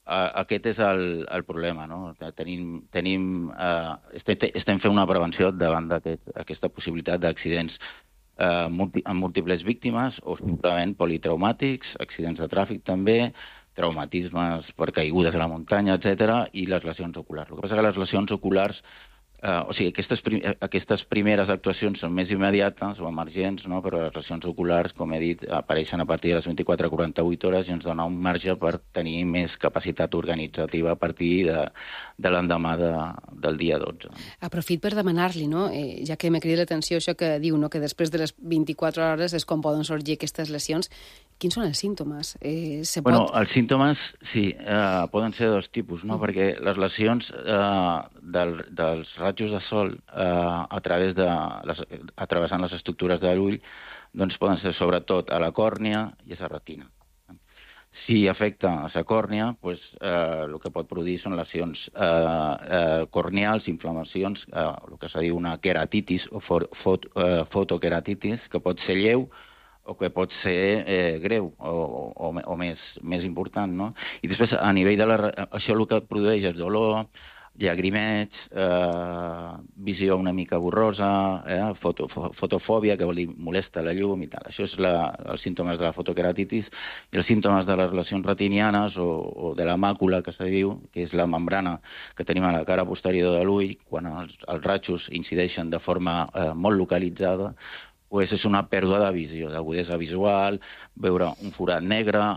aquest és el problema, no? Estem fent una prevenció davant d'aquesta possibilitat d'accidents amb múltiples víctimes o simplement politraumàtics, accidents de tràfic també, traumatismes per caigudes a la muntanya, etc, i les lesions oculars. El que passa és que les lesions oculars, aquestes primeres actuacions són més immediates o emergents, no? Però les lesions oculars, com he dit, apareixen a partir de les 24 a 48 hores i ens dona un marge per tenir més capacitat organitzativa a partir de l'endemà del dia 12. Aprofit per demanar-li, no? Ja que m'ha cridat l'atenció això que diu, no? Que després de les 24 hores és com poden sorgir aquestes lesions. Quins són els símptomes? Els símptomes, sí, poden ser de dos tipus, no? Perquè les lesions dels rajos de sol travessant les estructures de l'ull doncs poden ser sobretot a la còrnia i a la retina. Si afecta a la còrnia, doncs, el que pot produir són lesions corneals, inflamacions, el que se diu una queratitis o fotoqueratitis, que pot ser lleu o que pot ser greu o més important, no? I després, a nivell de això el que produeix és dolor, llagrimeig, visió una mica borrosa, fotofòbia, que vol dir molesta la llum i tal. Això és els símptomes de la fotoqueratitis, i els símptomes de les lesions retinianes o de la màcula, que se diu, que és la membrana que tenim a la cara posterior de l'ull, quan els rajos incideixen de forma molt localitzada, doncs és una pèrdua de visió, d'agudesa visual, veure un forat negre,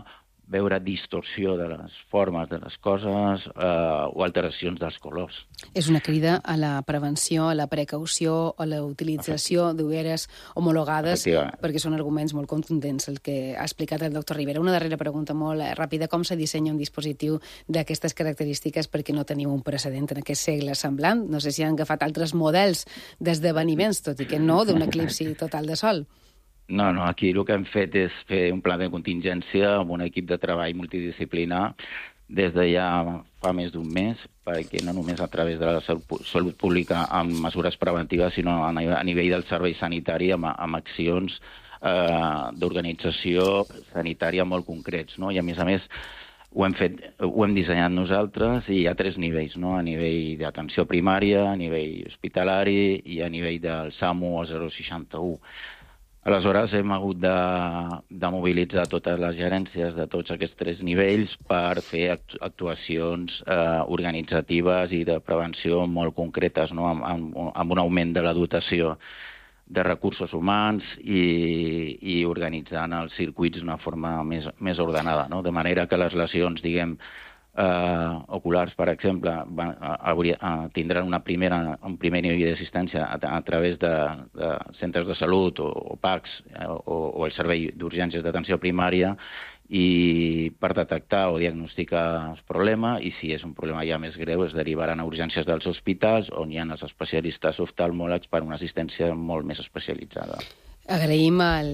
veure distorsió de les formes de les coses o alteracions dels colors. És una crida a la prevenció, a la precaució, a la utilització d'ulleres homologades, perquè són arguments molt contundents, el que ha explicat el doctor Ribera. Una darrera pregunta molt ràpida. Com se dissenya un dispositiu d'aquestes característiques perquè no teniu un precedent en aquest segle semblant? No sé si han agafat altres models d'esdeveniments, tot i que no d'un eclipsi total de sol. No, aquí el que hem fet és fer un pla de contingència amb un equip de treball multidisciplinar des de ja fa més d'un mes, perquè no només a través de la salut pública amb mesures preventives, sinó a nivell del servei sanitari amb accions d'organització sanitària molt concrets, no? I a més ho hem dissenyat nosaltres i hi ha 3 nivells, no? A nivell d'atenció primària, a nivell hospitalari i a nivell del SAMU o 061. Aleshores, hem hagut de mobilitzar totes les gerències de tots aquests 3 nivells per fer actuacions organitzatives i de prevenció molt concretes, no? Amb un augment de la dotació de recursos humans i organitzant els circuits d'una forma més ordenada, no? De manera que les lesions, diguem, oculars, per exemple, tindran un primer nivell d'assistència a través de centres de salut o PACs o el servei d'urgències d'atenció primària i per detectar o diagnosticar el problema, i si és un problema ja més greu es derivaran a urgències dels hospitals on hi ha els especialistes oftalmòlegs per una assistència molt més especialitzada. Agraïm al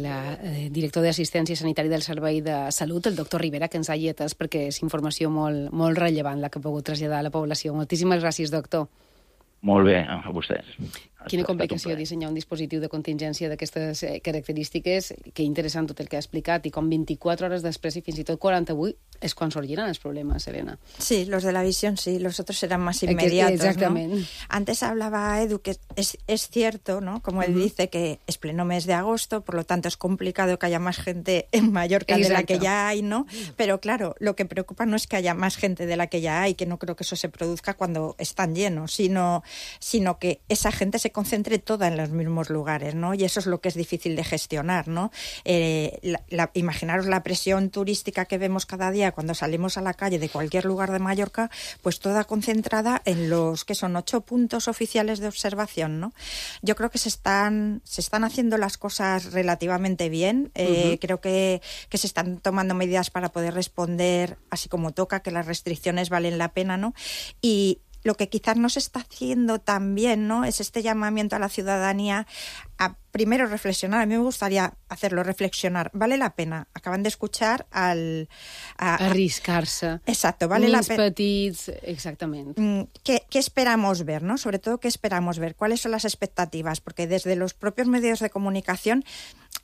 director d'Assistència Sanitària del Servei de Salut, el doctor Ribera, que ens hagi atès, perquè és informació molt rellevant la que ha pogut traslladar a la població. Moltíssimes gràcies, doctor. Molt bé, a vostès. Quina complicació dissenyar un dispositiu de contingència d'aquestes característiques. Que interessant tot el que ha explicat, i com 24 hores després i fins i tot 48 és quan sorgiran els problemes, Elena. Sí, los de la visión sí, los otros serán más inmediatos, exactamente, ¿no? Antes hablaba Edu que es cierto, ¿no? Como él dice, que es pleno mes de agosto, por lo tanto es complicado que haya más gente en Mallorca de la que ya hay, ¿no? Pero claro, lo que preocupa no es que haya más gente de la que ya hay, que no creo que eso se produzca cuando están llenos, sino que esa gente se concentre toda en los mismos lugares, ¿no? Y eso es lo que es difícil de gestionar, ¿no? Imaginaros la presión turística que vemos cada día cuando salimos a la calle de cualquier lugar de Mallorca, pues toda concentrada en los que son 8 puntos oficiales de observación, ¿no? Yo creo que se están haciendo las cosas relativamente bien. Creo que se están tomando medidas para poder responder así como toca, que las restricciones valen la pena, ¿no? Y lo que quizás no se está haciendo tan bien, ¿no?, es este llamamiento a la ciudadanía a primero reflexionar. A mí me gustaría hacerlo, reflexionar. ¿Vale la pena? Acaban de escuchar arriscar-se. Exacto, vale la pena. Petits, exactament. ¿Qué esperamos ver, no? Sobre todo, ¿qué esperamos ver? ¿Cuáles son las expectativas? Porque desde los propios medios de comunicación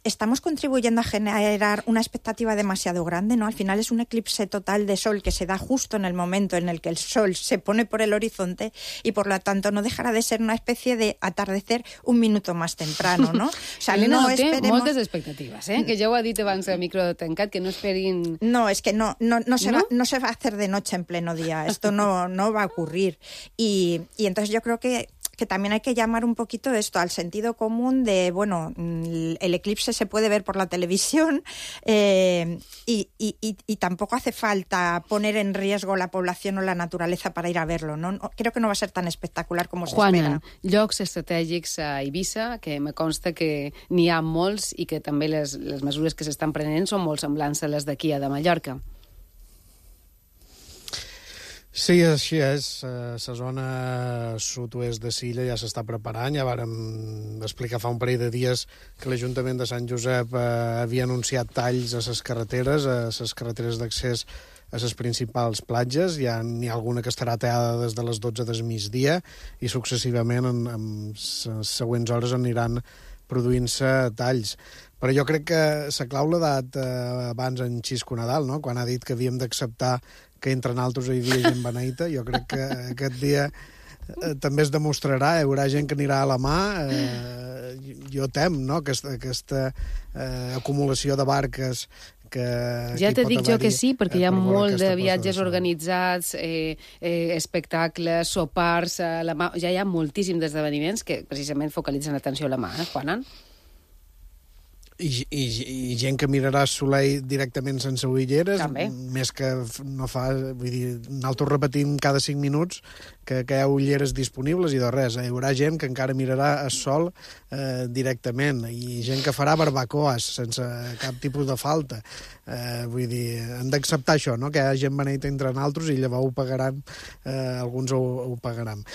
estamos contribuyendo a generar una expectativa demasiado grande, ¿no? Al final es un eclipse total de sol que se da justo en el momento en el que el sol se pone por el horizonte y, por lo tanto, no dejará de ser una especie de atardecer un minuto más temprano, ¿no? O sea, Elena, no esperemos... té moltes expectatives, que ja ho ha dit abans a micro tancat, que no esperin... No, es que no se va a hacer de noche en pleno día. Esto no va a ocurrir. Y entonces yo creo que también hay que llamar un poquito esto al sentido común de, bueno, el eclipse se puede ver por la televisión y tampoco hace falta poner en riesgo la población o la naturaleza para ir a verlo, ¿no? Creo que no va a ser tan espectacular como se espera. Llocs estratègics a Eivissa, que me consta que n'hi ha molts i que també les mesures que s'estan prenent són molt semblants a les d'aquí a de Mallorca. Sí, així és. La zona sud-oest de Silla ja s'està preparant. Ja vàrem explicar fa un parell de dies que l'Ajuntament de Sant Josep havia anunciat talls a les carreteres d'accés a les principals platges. N'hi ha alguna que estarà tallada des de les 12 del migdia i successivament en les següents hores aniran produint-se talls. Però jo crec que la clau l'ha dat abans en Xisco Nadal, no?, quan ha dit que havíem d'acceptar que entre nosaltres hi havia gent beneita. Jo crec que aquest dia també es demostrarà, hi haurà gent que anirà a la mà. Jo tem, no?, aquesta acumulació de barques que... Ja t'he dit jo que sí, perquè hi ha molt de viatges organitzats, espectacles, sopars, la mà. Ja hi ha moltíssims esdeveniments que precisament focalitzen l'atenció a la mà, Juanan? I gent que mirarà el soleil directament sense ulleres, també. Més que no fa... Vull dir, nosaltres repetim cada 5 minuts que hi ha ulleres disponibles i de res. Hi haurà gent que encara mirarà el sol directament i gent que farà barbacoes sense cap tipus de falta. Vull dir, hem d'acceptar això, no?, que hi ha gent beneita entre nosaltres i llavors ho pagaran, alguns ho pagaran.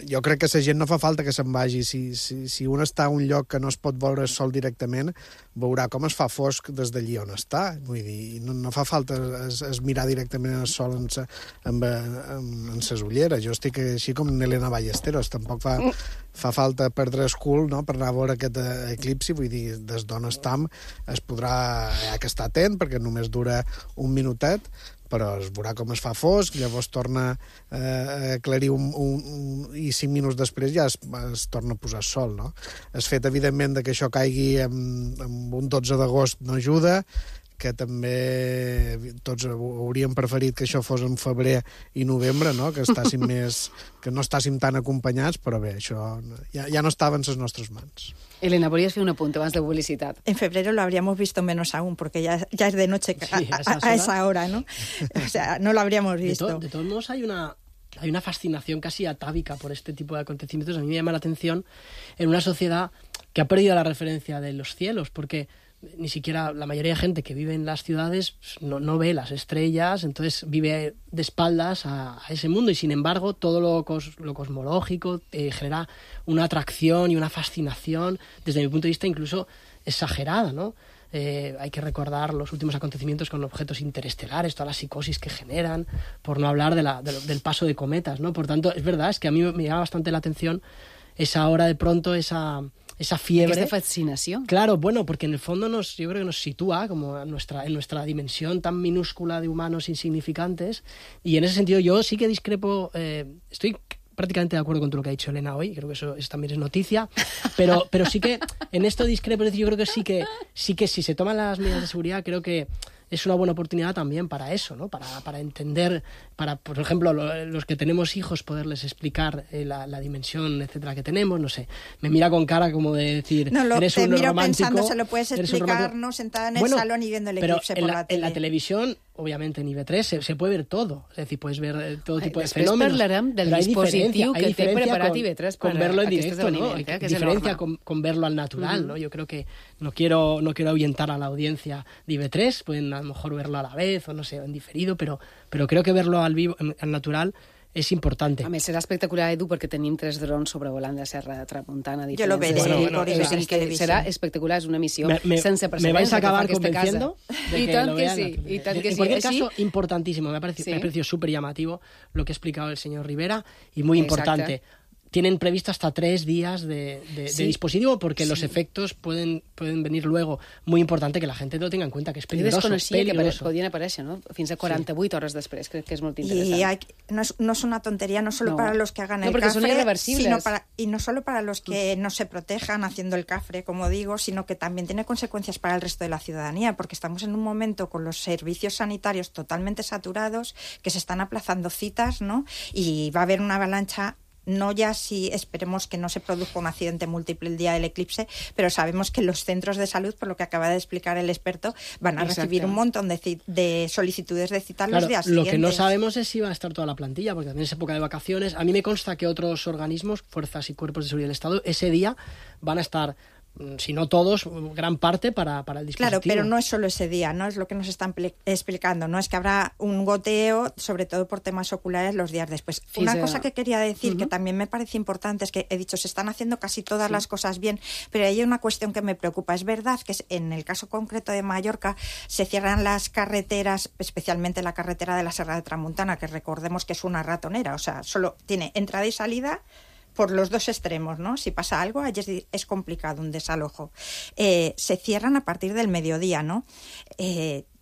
Jo crec que la gent no fa falta que se'n vagi. Si un està a un lloc que no es pot veure el sol directament, veurà com es fa fosc des d'allí on està. Vull dir, no fa falta es mirar directament el sol en ses ulleres. Jo estic així com Elena Ballesteros. Tampoc fa falta perdre el cul, no?, per anar a veure aquest eclipsi. Vull dir, des d'on estem es podrà... Hi ha que estar atent, perquè només dura un minutet, però es veurà com es fa fosc, llavors torna a aclarir i 5 minuts després ja es torna a posar sol, no? El fet, evidentment, que això caigui amb un 12 d'agost no ajuda, que també tots hauríem preferit que això fos en febrer i novembre, no?, que no estàssim tan acompanyats, però bé, això ja no estava en les nostres mans. Elena, podrías hacer un apunte más de publicidad. En febrero lo habríamos visto menos aún, porque ya es de noche a esa hora, ¿no? O sea, no lo habríamos visto. De todos modos, hay una fascinación casi atávica por este tipo de acontecimientos. A mí me llama la atención en una sociedad que ha perdido la referencia de los cielos, porque ni siquiera la mayoría de gente que vive en las ciudades no ve las estrellas, entonces vive de espaldas a ese mundo, y sin embargo todo lo cosmológico genera una atracción y una fascinación, desde mi punto de vista incluso exagerada, ¿no? Hay que recordar los últimos acontecimientos con objetos interestelares, toda la psicosis que generan, por no hablar del paso de cometas, ¿no? Por tanto, es verdad, es que a mí me llama bastante la atención esa hora de pronto, esa fiebre. Esta fascinación. Claro, bueno, porque en el fondo yo creo que nos sitúa como en nuestra dimensión tan minúscula de humanos insignificantes, y en ese sentido yo sí que discrepo, estoy prácticamente de acuerdo con todo lo que ha dicho Elena hoy, creo que eso también es noticia, pero sí que en esto discrepo, es decir, yo creo que sí que si se toman las medidas de seguridad, creo que es una buena oportunidad también para eso, ¿no? Para entender, para, por ejemplo, los que tenemos hijos, poderles explicar la dimensión, etcétera, que tenemos, no sé. Me mira con cara como de decir, eres un romántico. Pensando, se lo puedes explicar, ¿no? Sentada en el salón y viendo el eclipse por la tele. En la televisión, obviamente, en IB3 se puede ver todo. Es decir, puedes ver todo tipo de fenòmenos. Després parlarem del dispositiu que té preparat IB3 con verlo en directo, ¿no? Hay diferencia con verlo al natural, ¿no? Yo creo que no quiero ahuyentar a la audiencia de IB3, pueden a lo mejor verlo a la vez o no sé, en diferido, pero creo que verlo al vivo, al natural, és important. A més, serà espectacular, Edu, perquè tenim 3 drons sobrevolant la Serra de Tramuntana. Jo lo veré por televisión. Serà espectacular, és una missió sense precedents. Me vais a acabar convenciendo de que lo vean. Y tant que sí. En cualquier caso, importantísimo. Me ha parecido súper llamativo lo que ha explicado el señor Rivera y muy importante. Tienen previsto hasta 3 días de dispositivo porque los efectos pueden venir luego. Muy importante que la gente lo tenga en cuenta, que es peligroso. Jo desconeixia que podien aparèixer, ¿no? Fins a 48 hores després, crec que és molt interessant. No es una tontería, no solo para los que hagan el cafre, y no solo para los que no se protejan haciendo el cafre, como digo, sino que también tiene consecuencias para el resto de la ciudadanía, porque estamos en un momento con los servicios sanitarios totalmente saturados, que se están aplazando citas, ¿no? Y va a haber una avalancha. No ya si esperemos que no se produzca un accidente múltiple el día del eclipse, pero sabemos que los centros de salud, por lo que acaba de explicar el experto, van a recibir un montón de solicitudes de cita los días siguientes. Lo que no sabemos es si va a estar toda la plantilla, porque también es época de vacaciones. A mí me consta que otros organismos, fuerzas y cuerpos de seguridad del Estado, ese día van a estar, si no todos, gran parte para el dispositivo. Claro, pero no es solo ese día, ¿no? Es lo que nos están explicando, ¿no? Es que habrá un goteo, sobre todo por temas oculares, los días después. Una cosa que quería decir, que también me parece importante, es que he dicho, se están haciendo casi todas las cosas bien, pero hay una cuestión que me preocupa. Es verdad que en el caso concreto de Mallorca se cierran las carreteras, especialmente la carretera de la Serra de Tramuntana, que recordemos que es una ratonera, o sea, solo tiene entrada y salida por los dos extremos, ¿no? Si pasa algo, allí es complicado un desalojo. Se cierran a partir del mediodía, ¿no?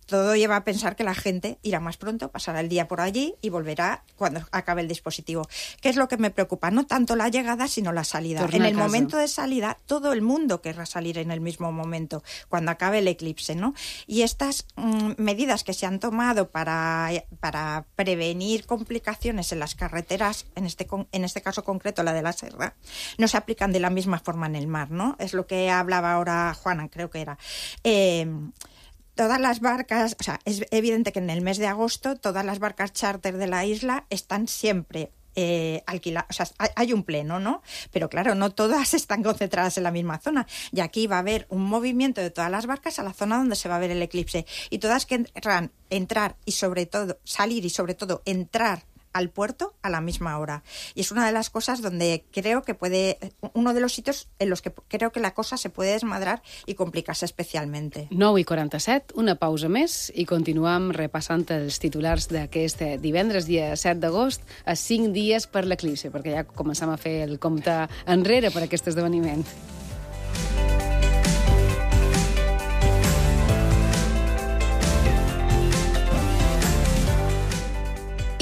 Todo lleva a pensar que la gente irá más pronto, pasará el día por allí y volverá cuando acabe el dispositivo. ¿Qué es lo que me preocupa? No tanto la llegada, sino la salida. En el momento de salida, todo el mundo querrá salir en el mismo momento, cuando acabe el eclipse, ¿no? Y estas medidas que se han tomado para prevenir complicaciones en las carreteras, en este caso concreto la de la Serra, no se aplican de la misma forma en el mar, ¿no? Es lo que hablaba ahora Juana, creo que era. Todas las barcas, o sea, es evidente que en el mes de agosto todas las barcas charter de la isla están siempre alquiladas, o sea, hay un pleno, ¿no? Pero claro, no todas están concentradas en la misma zona. Y aquí va a haber un movimiento de todas las barcas a la zona donde se va a ver el eclipse. Y todas querrán entrar y sobre todo salir y sobre todo entrar al puerto a la misma hora. Y es una de las cosas donde creo que uno de los sitios en los que creo que la cosa se puede desmadrar i complicar-se especialment. 9:47, una pausa més i continuem repassant els titulars d'aquest divendres, dia 7 d'agost, a 5 dies per l'eclipse, perquè ja començam a fer el compte enrere per aquest esdeveniment.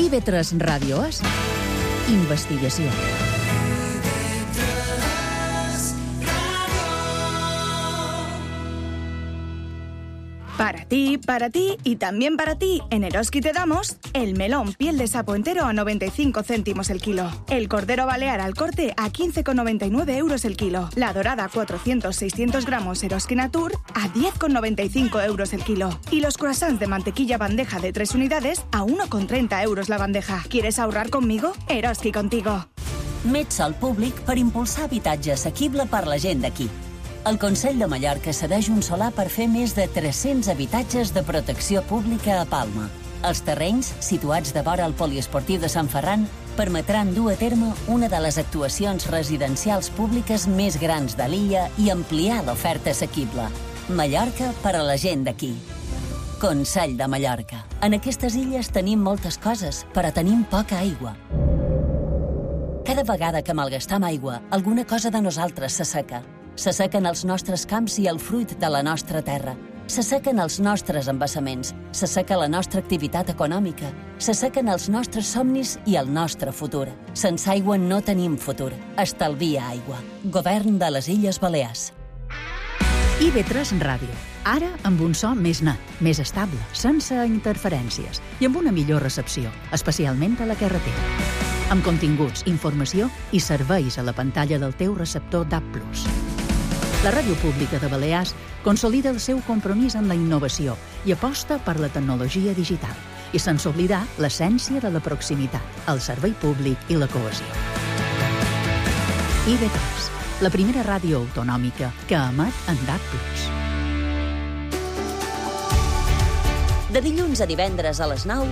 IB3 Ràdio és investigació. Para ti y también para ti, en Eroski te damos el melón piel de sapo entero a 95 céntimos el kilo, el cordero balear al corte a 15,99 euros el kilo, la dorada 400-600 gramos Eroski Natur a 10,95 euros el kilo y los croissants de mantequilla bandeja de 3 unidades a 1,30 euros la bandeja. ¿Quieres ahorrar conmigo? Eroski contigo. Met sol públic per impulsar habitatge assequible per la gent d'aquí. El Consell de Mallorca cedeix un solar per fer més de 300 habitatges de protecció pública a Palma. Els terrenys, situats de vora el poliesportiu de Sant Ferran, permetran dur a terme una de les actuacions residencials públiques més grans de l'illa i ampliar l'oferta assequible. Mallorca per a la gent d'aquí. Consell de Mallorca. En aquestes illes tenim moltes coses, però tenim poca aigua. Cada vegada que malgastam aigua, alguna cosa de nosaltres s'asseca. S'assequen els nostres camps i el fruit de la nostra terra. S'assequen els nostres embassaments. S'asseca la nostra activitat econòmica. S'assequen els nostres somnis i el nostre futur. Sense aigua no tenim futur. Estalvia aigua. Govern de les Illes Balears. IB3 Ràdio. Ara amb un so més net, més estable, sense interferències i amb una millor recepció, especialment a la carretera. Amb continguts, informació i serveis a la pantalla del teu receptor DAB+. La Ràdio Pública de Balears consolida el seu compromís amb la innovació i aposta per la tecnologia digital, i sense oblidar l'essència de la proximitat, el servei públic i la cohesió. IB3, la primera ràdio autonòmica que emet en DAB+. De dilluns a divendres a les 9,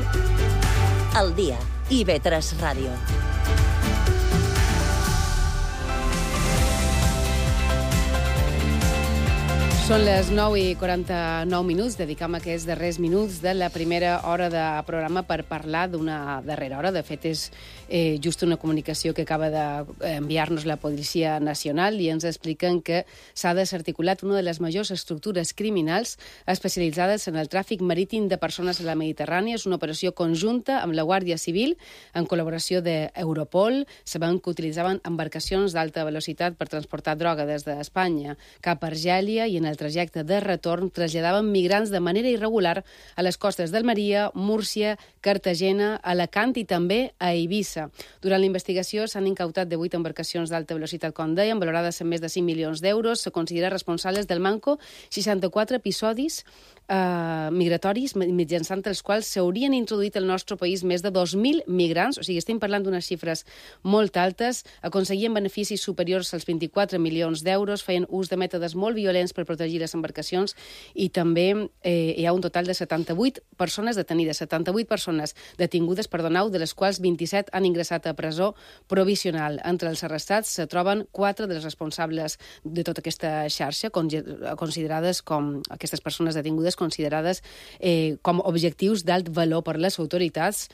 al dia, IB3 Ràdio. Són les 9:49 minuts. Dedicam aquests darrers minuts de la primera hora de programa per parlar d'una darrera hora. De fet, és just una comunicació que acaba d'enviar-nos la Policia Nacional i ens expliquen que s'ha desarticulat una de les majors estructures criminals especialitzades en el tràfic marítim de persones a la Mediterrània. És una operació conjunta amb la Guàrdia Civil en col·laboració d'Europol. Sabem que utilitzaven embarcacions d'alta velocitat per transportar droga des d'Espanya cap a Argèlia i en el trajecte de retorn traslladaven migrants de manera irregular a les costes d'Almeria, Múrcia, Cartagena, Alacant i també a Eivissa. Durant la investigació s'han incautat 18 embarcacions d'alta velocitat, com dèiem, valorades en més de 5 milions d'euros. Se considera responsables del manco 64 episodis migratoris mitjançant els quals s'haurien introduït al nostre país més de 2.000 migrants, o sigui, estem parlant d'unes xifres molt altes, aconseguien beneficis superiors als 24 milions d'euros, feien ús de mètodes molt violents per protegir les embarcacions i també hi ha un total de 78 persones detenides, 78 persones detingudes, de les quals 27 han ingressat a presó provisional. Entre els arrestats se troben 4 dels responsables de tota aquesta xarxa, considerades com aquestes persones detingudes considerades com objectius d'alt valor per les autoritats.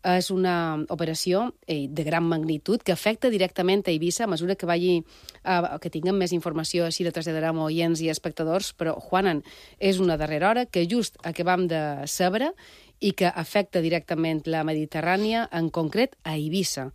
És una operació de gran magnitud que afecta directament a Eivissa. A mesura que tinguem més informació, així la traslladarem a oients i espectadors, però, Juanan, és una darrera hora que just acabam de saber i que afecta directament la Mediterrània, en concret a Eivissa.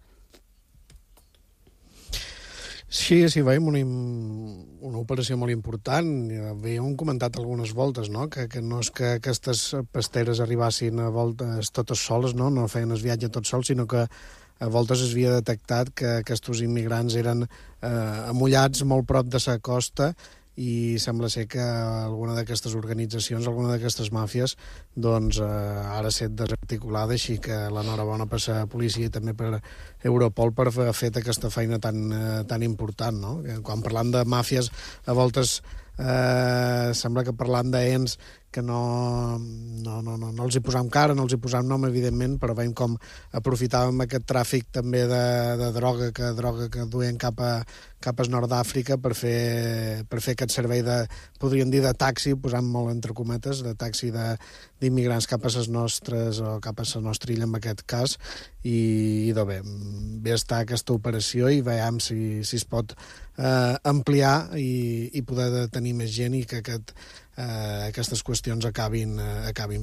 Sí, veiem una operació molt important. Havíem comentat algunes voltes, no? Que no és que aquestes pasteres arribassin a voltes totes soles, no feien el viatge tots sols, sinó que a voltes es havia detectat que aquests immigrants eren amullats molt prop de la costa i sembla ser que alguna d'aquestes organitzacions, alguna d'aquestes màfies, doncs ara s'ha desarticulada, així que l'enhorabona per la policia i també per Europol per haver fet aquesta feina tan important, no? Quan parlam de màfies, a voltes sembla que parlam d'ens que no els hi posam cara, no els hi posam nom, evidentment, però veiem com aprofitàvem aquest tràfic també de droga que duien cap al nord d'Àfrica per fer aquest servei podríem dir, de taxi, posant molt entre cometes, de taxi d'immigrants cap a les nostres, o cap a la nostra illa en aquest cas, i bé està aquesta operació i veiem si es pot ampliar i poder detenir més gent i que aquestes qüestions acabin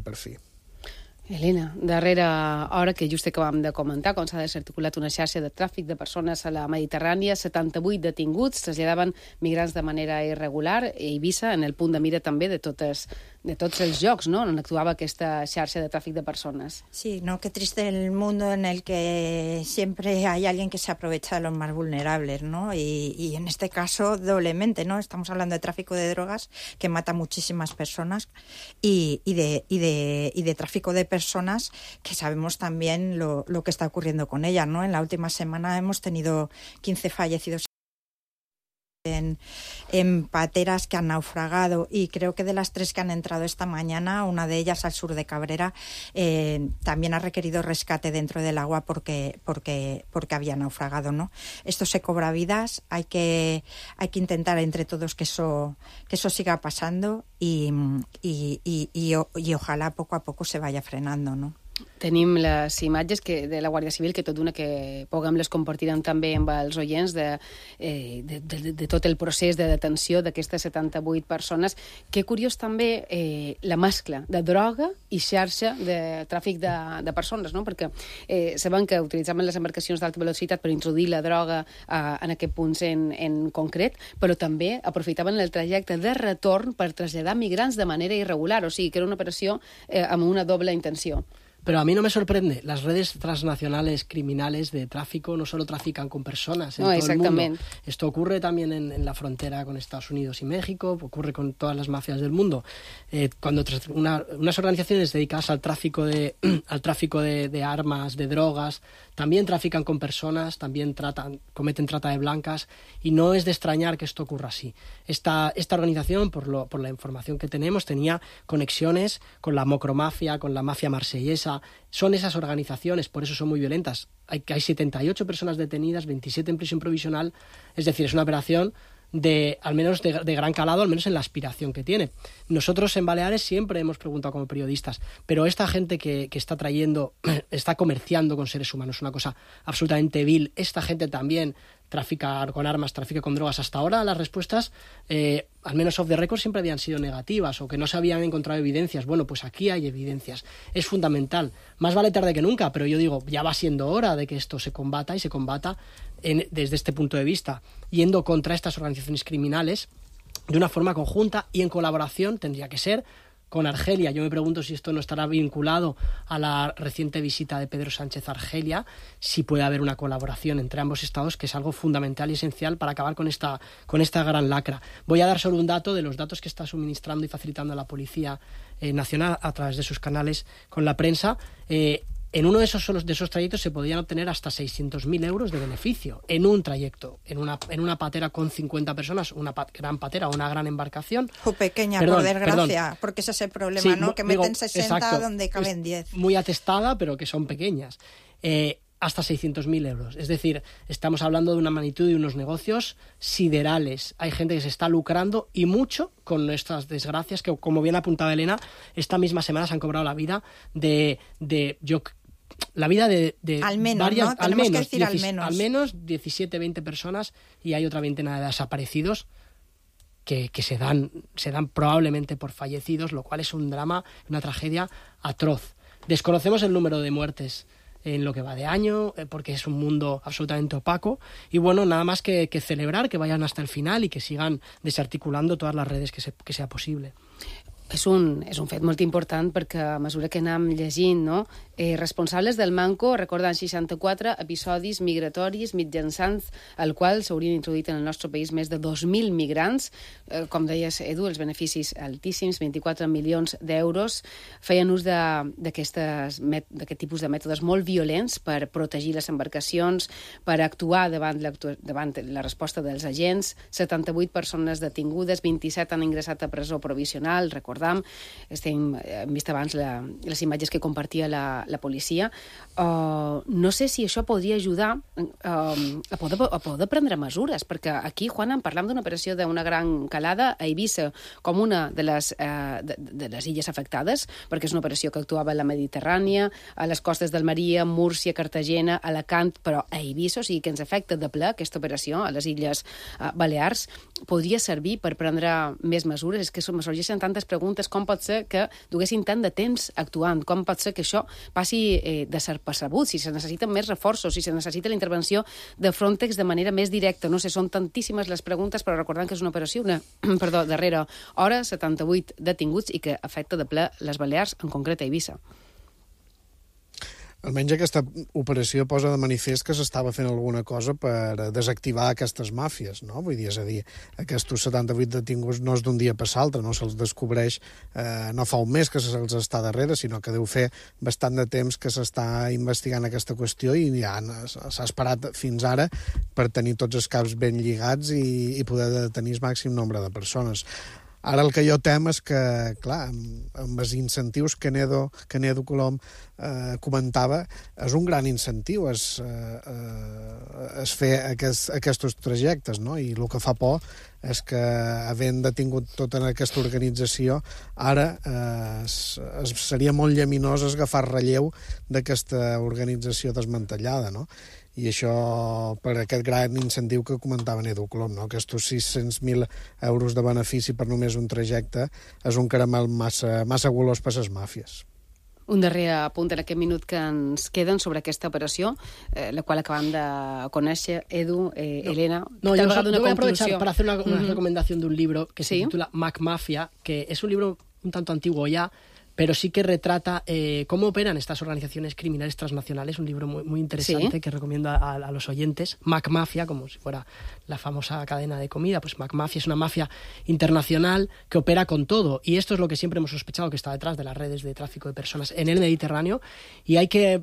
per fi. Helena, darrera hora que just acabam de comentar com s'ha desarticulat una xarxa de tràfic de persones a la Mediterrània, 78 detinguts, traslladaven migrants de manera irregular, i Eivissa en el punt de mira també de tots els llocs, ¿no?, on actuava aquesta xarxa de tràfic de personas. Sí, ¿no? Qué triste el mundo en el que siempre hay alguien que se aprovecha de los más vulnerables, ¿no? Y en este caso doblemente, ¿no? Estamos hablando de tráfico de drogas que mata a muchísimas personas y de tráfico de personas que sabemos también lo que está ocurriendo con ellas, ¿no? En la última semana hemos tenido 15 fallecidos en pateras que han naufragado, y creo que de las 3 que han entrado esta mañana, una de ellas al sur de Cabrera, también ha requerido rescate dentro del agua porque había naufragado, ¿no? Esto se cobra vidas, hay que intentar entre todos que eso siga pasando y ojalá poco a poco se vaya frenando, ¿no? Tenim les imatges de la Guàrdia Civil, que tot d'una que puguem les compartirem també amb els oients de tot el procés de detenció d'aquestes 78 persones. Que curiós també la mescla de droga i xarxa de tràfic de persones, no? Perquè sabem que utilitzaven les embarcacions d'alta velocitat per introduir la droga en aquests punts en concret, però també aprofitaven el trajecte de retorn per traslladar migrants de manera irregular, o sigui que era una operació amb una doble intenció. Pero a mí no me sorprende. Las redes transnacionales criminales de tráfico no solo trafican con personas en todo el mundo. Esto ocurre también en la frontera con Estados Unidos y México, ocurre con todas las mafias del mundo. Cuando unas organizaciones dedicadas al tráfico de armas, de drogas, también trafican con personas, también cometen trata de blancas, y no es de extrañar que esto ocurra así. Esta organización, por la información que tenemos, tenía conexiones con la macromafia, con la mafia marsellesa. Son esas organizaciones, por eso son muy violentas. Hay 78 personas detenidas, 27 en prisión provisional, es decir, es una operación al menos de gran calado, al menos en la aspiración que tiene. Nosotros en Baleares siempre hemos preguntado como periodistas, pero esta gente que está comerciando con seres humanos, es una cosa absolutamente vil. Esta gente también trafica con armas, trafica con drogas. Hasta ahora las respuestas, al menos off the record, siempre habían sido negativas o que no se habían encontrado evidencias. Bueno, pues aquí hay evidencias. Es fundamental. Más vale tarde que nunca, pero yo digo, ya va siendo hora de que esto se combata y se combata desde este punto de vista, yendo contra estas organizaciones criminales de una forma conjunta y en colaboración. Tendría que ser con Argelia. Yo me pregunto si esto no estará vinculado a la reciente visita de Pedro Sánchez a Argelia, si puede haber una colaboración entre ambos estados, que es algo fundamental y esencial para acabar con esta gran lacra. Voy a dar solo un dato de los datos que está suministrando y facilitando la Policía Nacional a través de sus canales con la prensa. En uno de esos trayectos se podían obtener hasta 600.000 euros de beneficio en un trayecto, en una patera con 50 personas, una gran patera o una gran embarcación. O pequeña, por desgracia, porque ese es el problema, sí, ¿no? Que meten 60 exacto, donde caben 10. Muy atestada, pero que son pequeñas. Hasta 600.000 euros. Es decir, estamos hablando de una magnitud de unos negocios siderales. Hay gente que se está lucrando y mucho con nuestras desgracias, que, como bien apuntaba Elena, esta misma semana se han cobrado la vida de al menos, varias, ¿no? Tenemos que decir al menos 17, 20 personas, y hay otra veintena de desaparecidos que se dan probablemente por fallecidos, lo cual es un drama, una tragedia atroz. Desconocemos el número de muertes en lo que va de año, porque es un mundo absolutamente opaco, y bueno, nada más que celebrar que vayan hasta el final y que sigan desarticulando todas las redes que sea posible. És un fet molt important perquè a mesura que anem llegint, no? Responsables del Manco recorden 64 episodis migratoris mitjançant el qual s'haurien introduït en el nostre país més de 2.000 migrants. Com deies, Edu, els beneficis altíssims, 24 milions d'euros. Feien ús d'aquest tipus de mètodes molt violents per protegir les embarcacions, per actuar davant la resposta dels agents. 78 persones detingudes, 27 han ingressat a presó provisional, hem vist abans les imatges que compartia la policia. No sé si això podria ajudar a poder prendre mesures, perquè aquí, Juana, parlam d'una operació d'una gran calada a Eivissa, com una de les illes afectades, perquè és una operació que actuava a la Mediterrània, a les costes d'Almeria, Múrcia, Cartagena, Alacant, però a Eivissa, o sigui que ens afecta de ple aquesta operació a les Illes Balears. Podria servir per prendre més mesures? És que me sorgeixen tantes preguntes. Com pot ser que duguessin tant de temps actuant? Com pot ser que això passi desapercebut? Si se necessiten més reforços, si se necessita la intervenció de Frontex de manera més directa. No sé, són tantíssimes les preguntes, però recordant que és una operació darrere hora, 78 detinguts i que afecta de ple les Balears, en concret a Eivissa. Almenys aquesta operació posa de manifest que s'estava fent alguna cosa per desactivar aquestes màfies, no? Vull dir, és a dir, aquests 78 detinguts no és d'un dia per l'altre, no se'ls descobreix, no fa un mes que se'ls està darrere, sinó que deu fer bastant de temps que s'està investigant aquesta qüestió i ja s'ha esperat fins ara per tenir tots els caps ben lligats i poder detenir el màxim nombre de persones. Ara el que jo tem és que, clar, amb els incentius que Nedo Colom comentava, és un gran incentiu es fer aquests trajectes, no? I el que fa por és que, havent detingut tota aquesta organització, ara seria molt llaminós agafar relleu d'aquesta organització desmantellada, no? I això, per aquest gran incentiu que comentava Nedo Colom, no? Aquests 600.000 euros de benefici per només un trajecte és un caramel massa golós per les màfies. Un darrer apunt en aquest minut que ens queden sobre aquesta operació, la qual acabam de conèixer, Edu, Elena. No, yo voy a aprovechar para hacer una recomendación de un libro que se titula Mac Mafia, que es un libro un tanto antiguo ya, pero sí que retrata cómo operan estas organizaciones criminales transnacionales, un libro muy interesante que recomiendo a los oyentes. Mac Mafia, como si fuera la famosa cadena de comida, pues Mac Mafia es una mafia internacional que opera con todo, y esto es lo que siempre hemos sospechado, que está detrás de las redes de tráfico de personas en el Mediterráneo, y hay que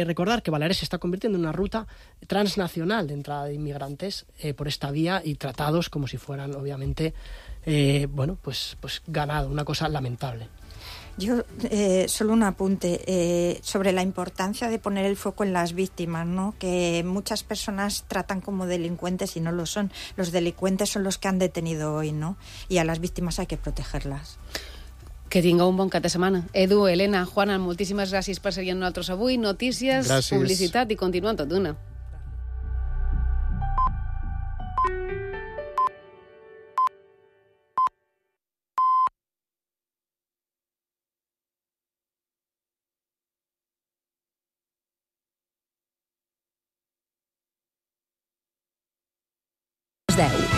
recordar que Baleares se está convirtiendo en una ruta transnacional de entrada de inmigrantes por esta vía, y tratados como si fueran, obviamente, pues ganado, una cosa lamentable. Yo, solo un apunte sobre la importancia de poner el foco en las víctimas, ¿no? Que muchas personas tratan como delincuentes y no lo son. Los delincuentes son los que han detenido hoy, ¿no? Y a las víctimas hay que protegerlas. Que tingueu un bon cap de setmana. Edu, Elena, Juana, moltíssimes gràcies per seguir amb nosaltres avui. Notícies, gràcies. Publicitat i continuem tot d'una. Les 10.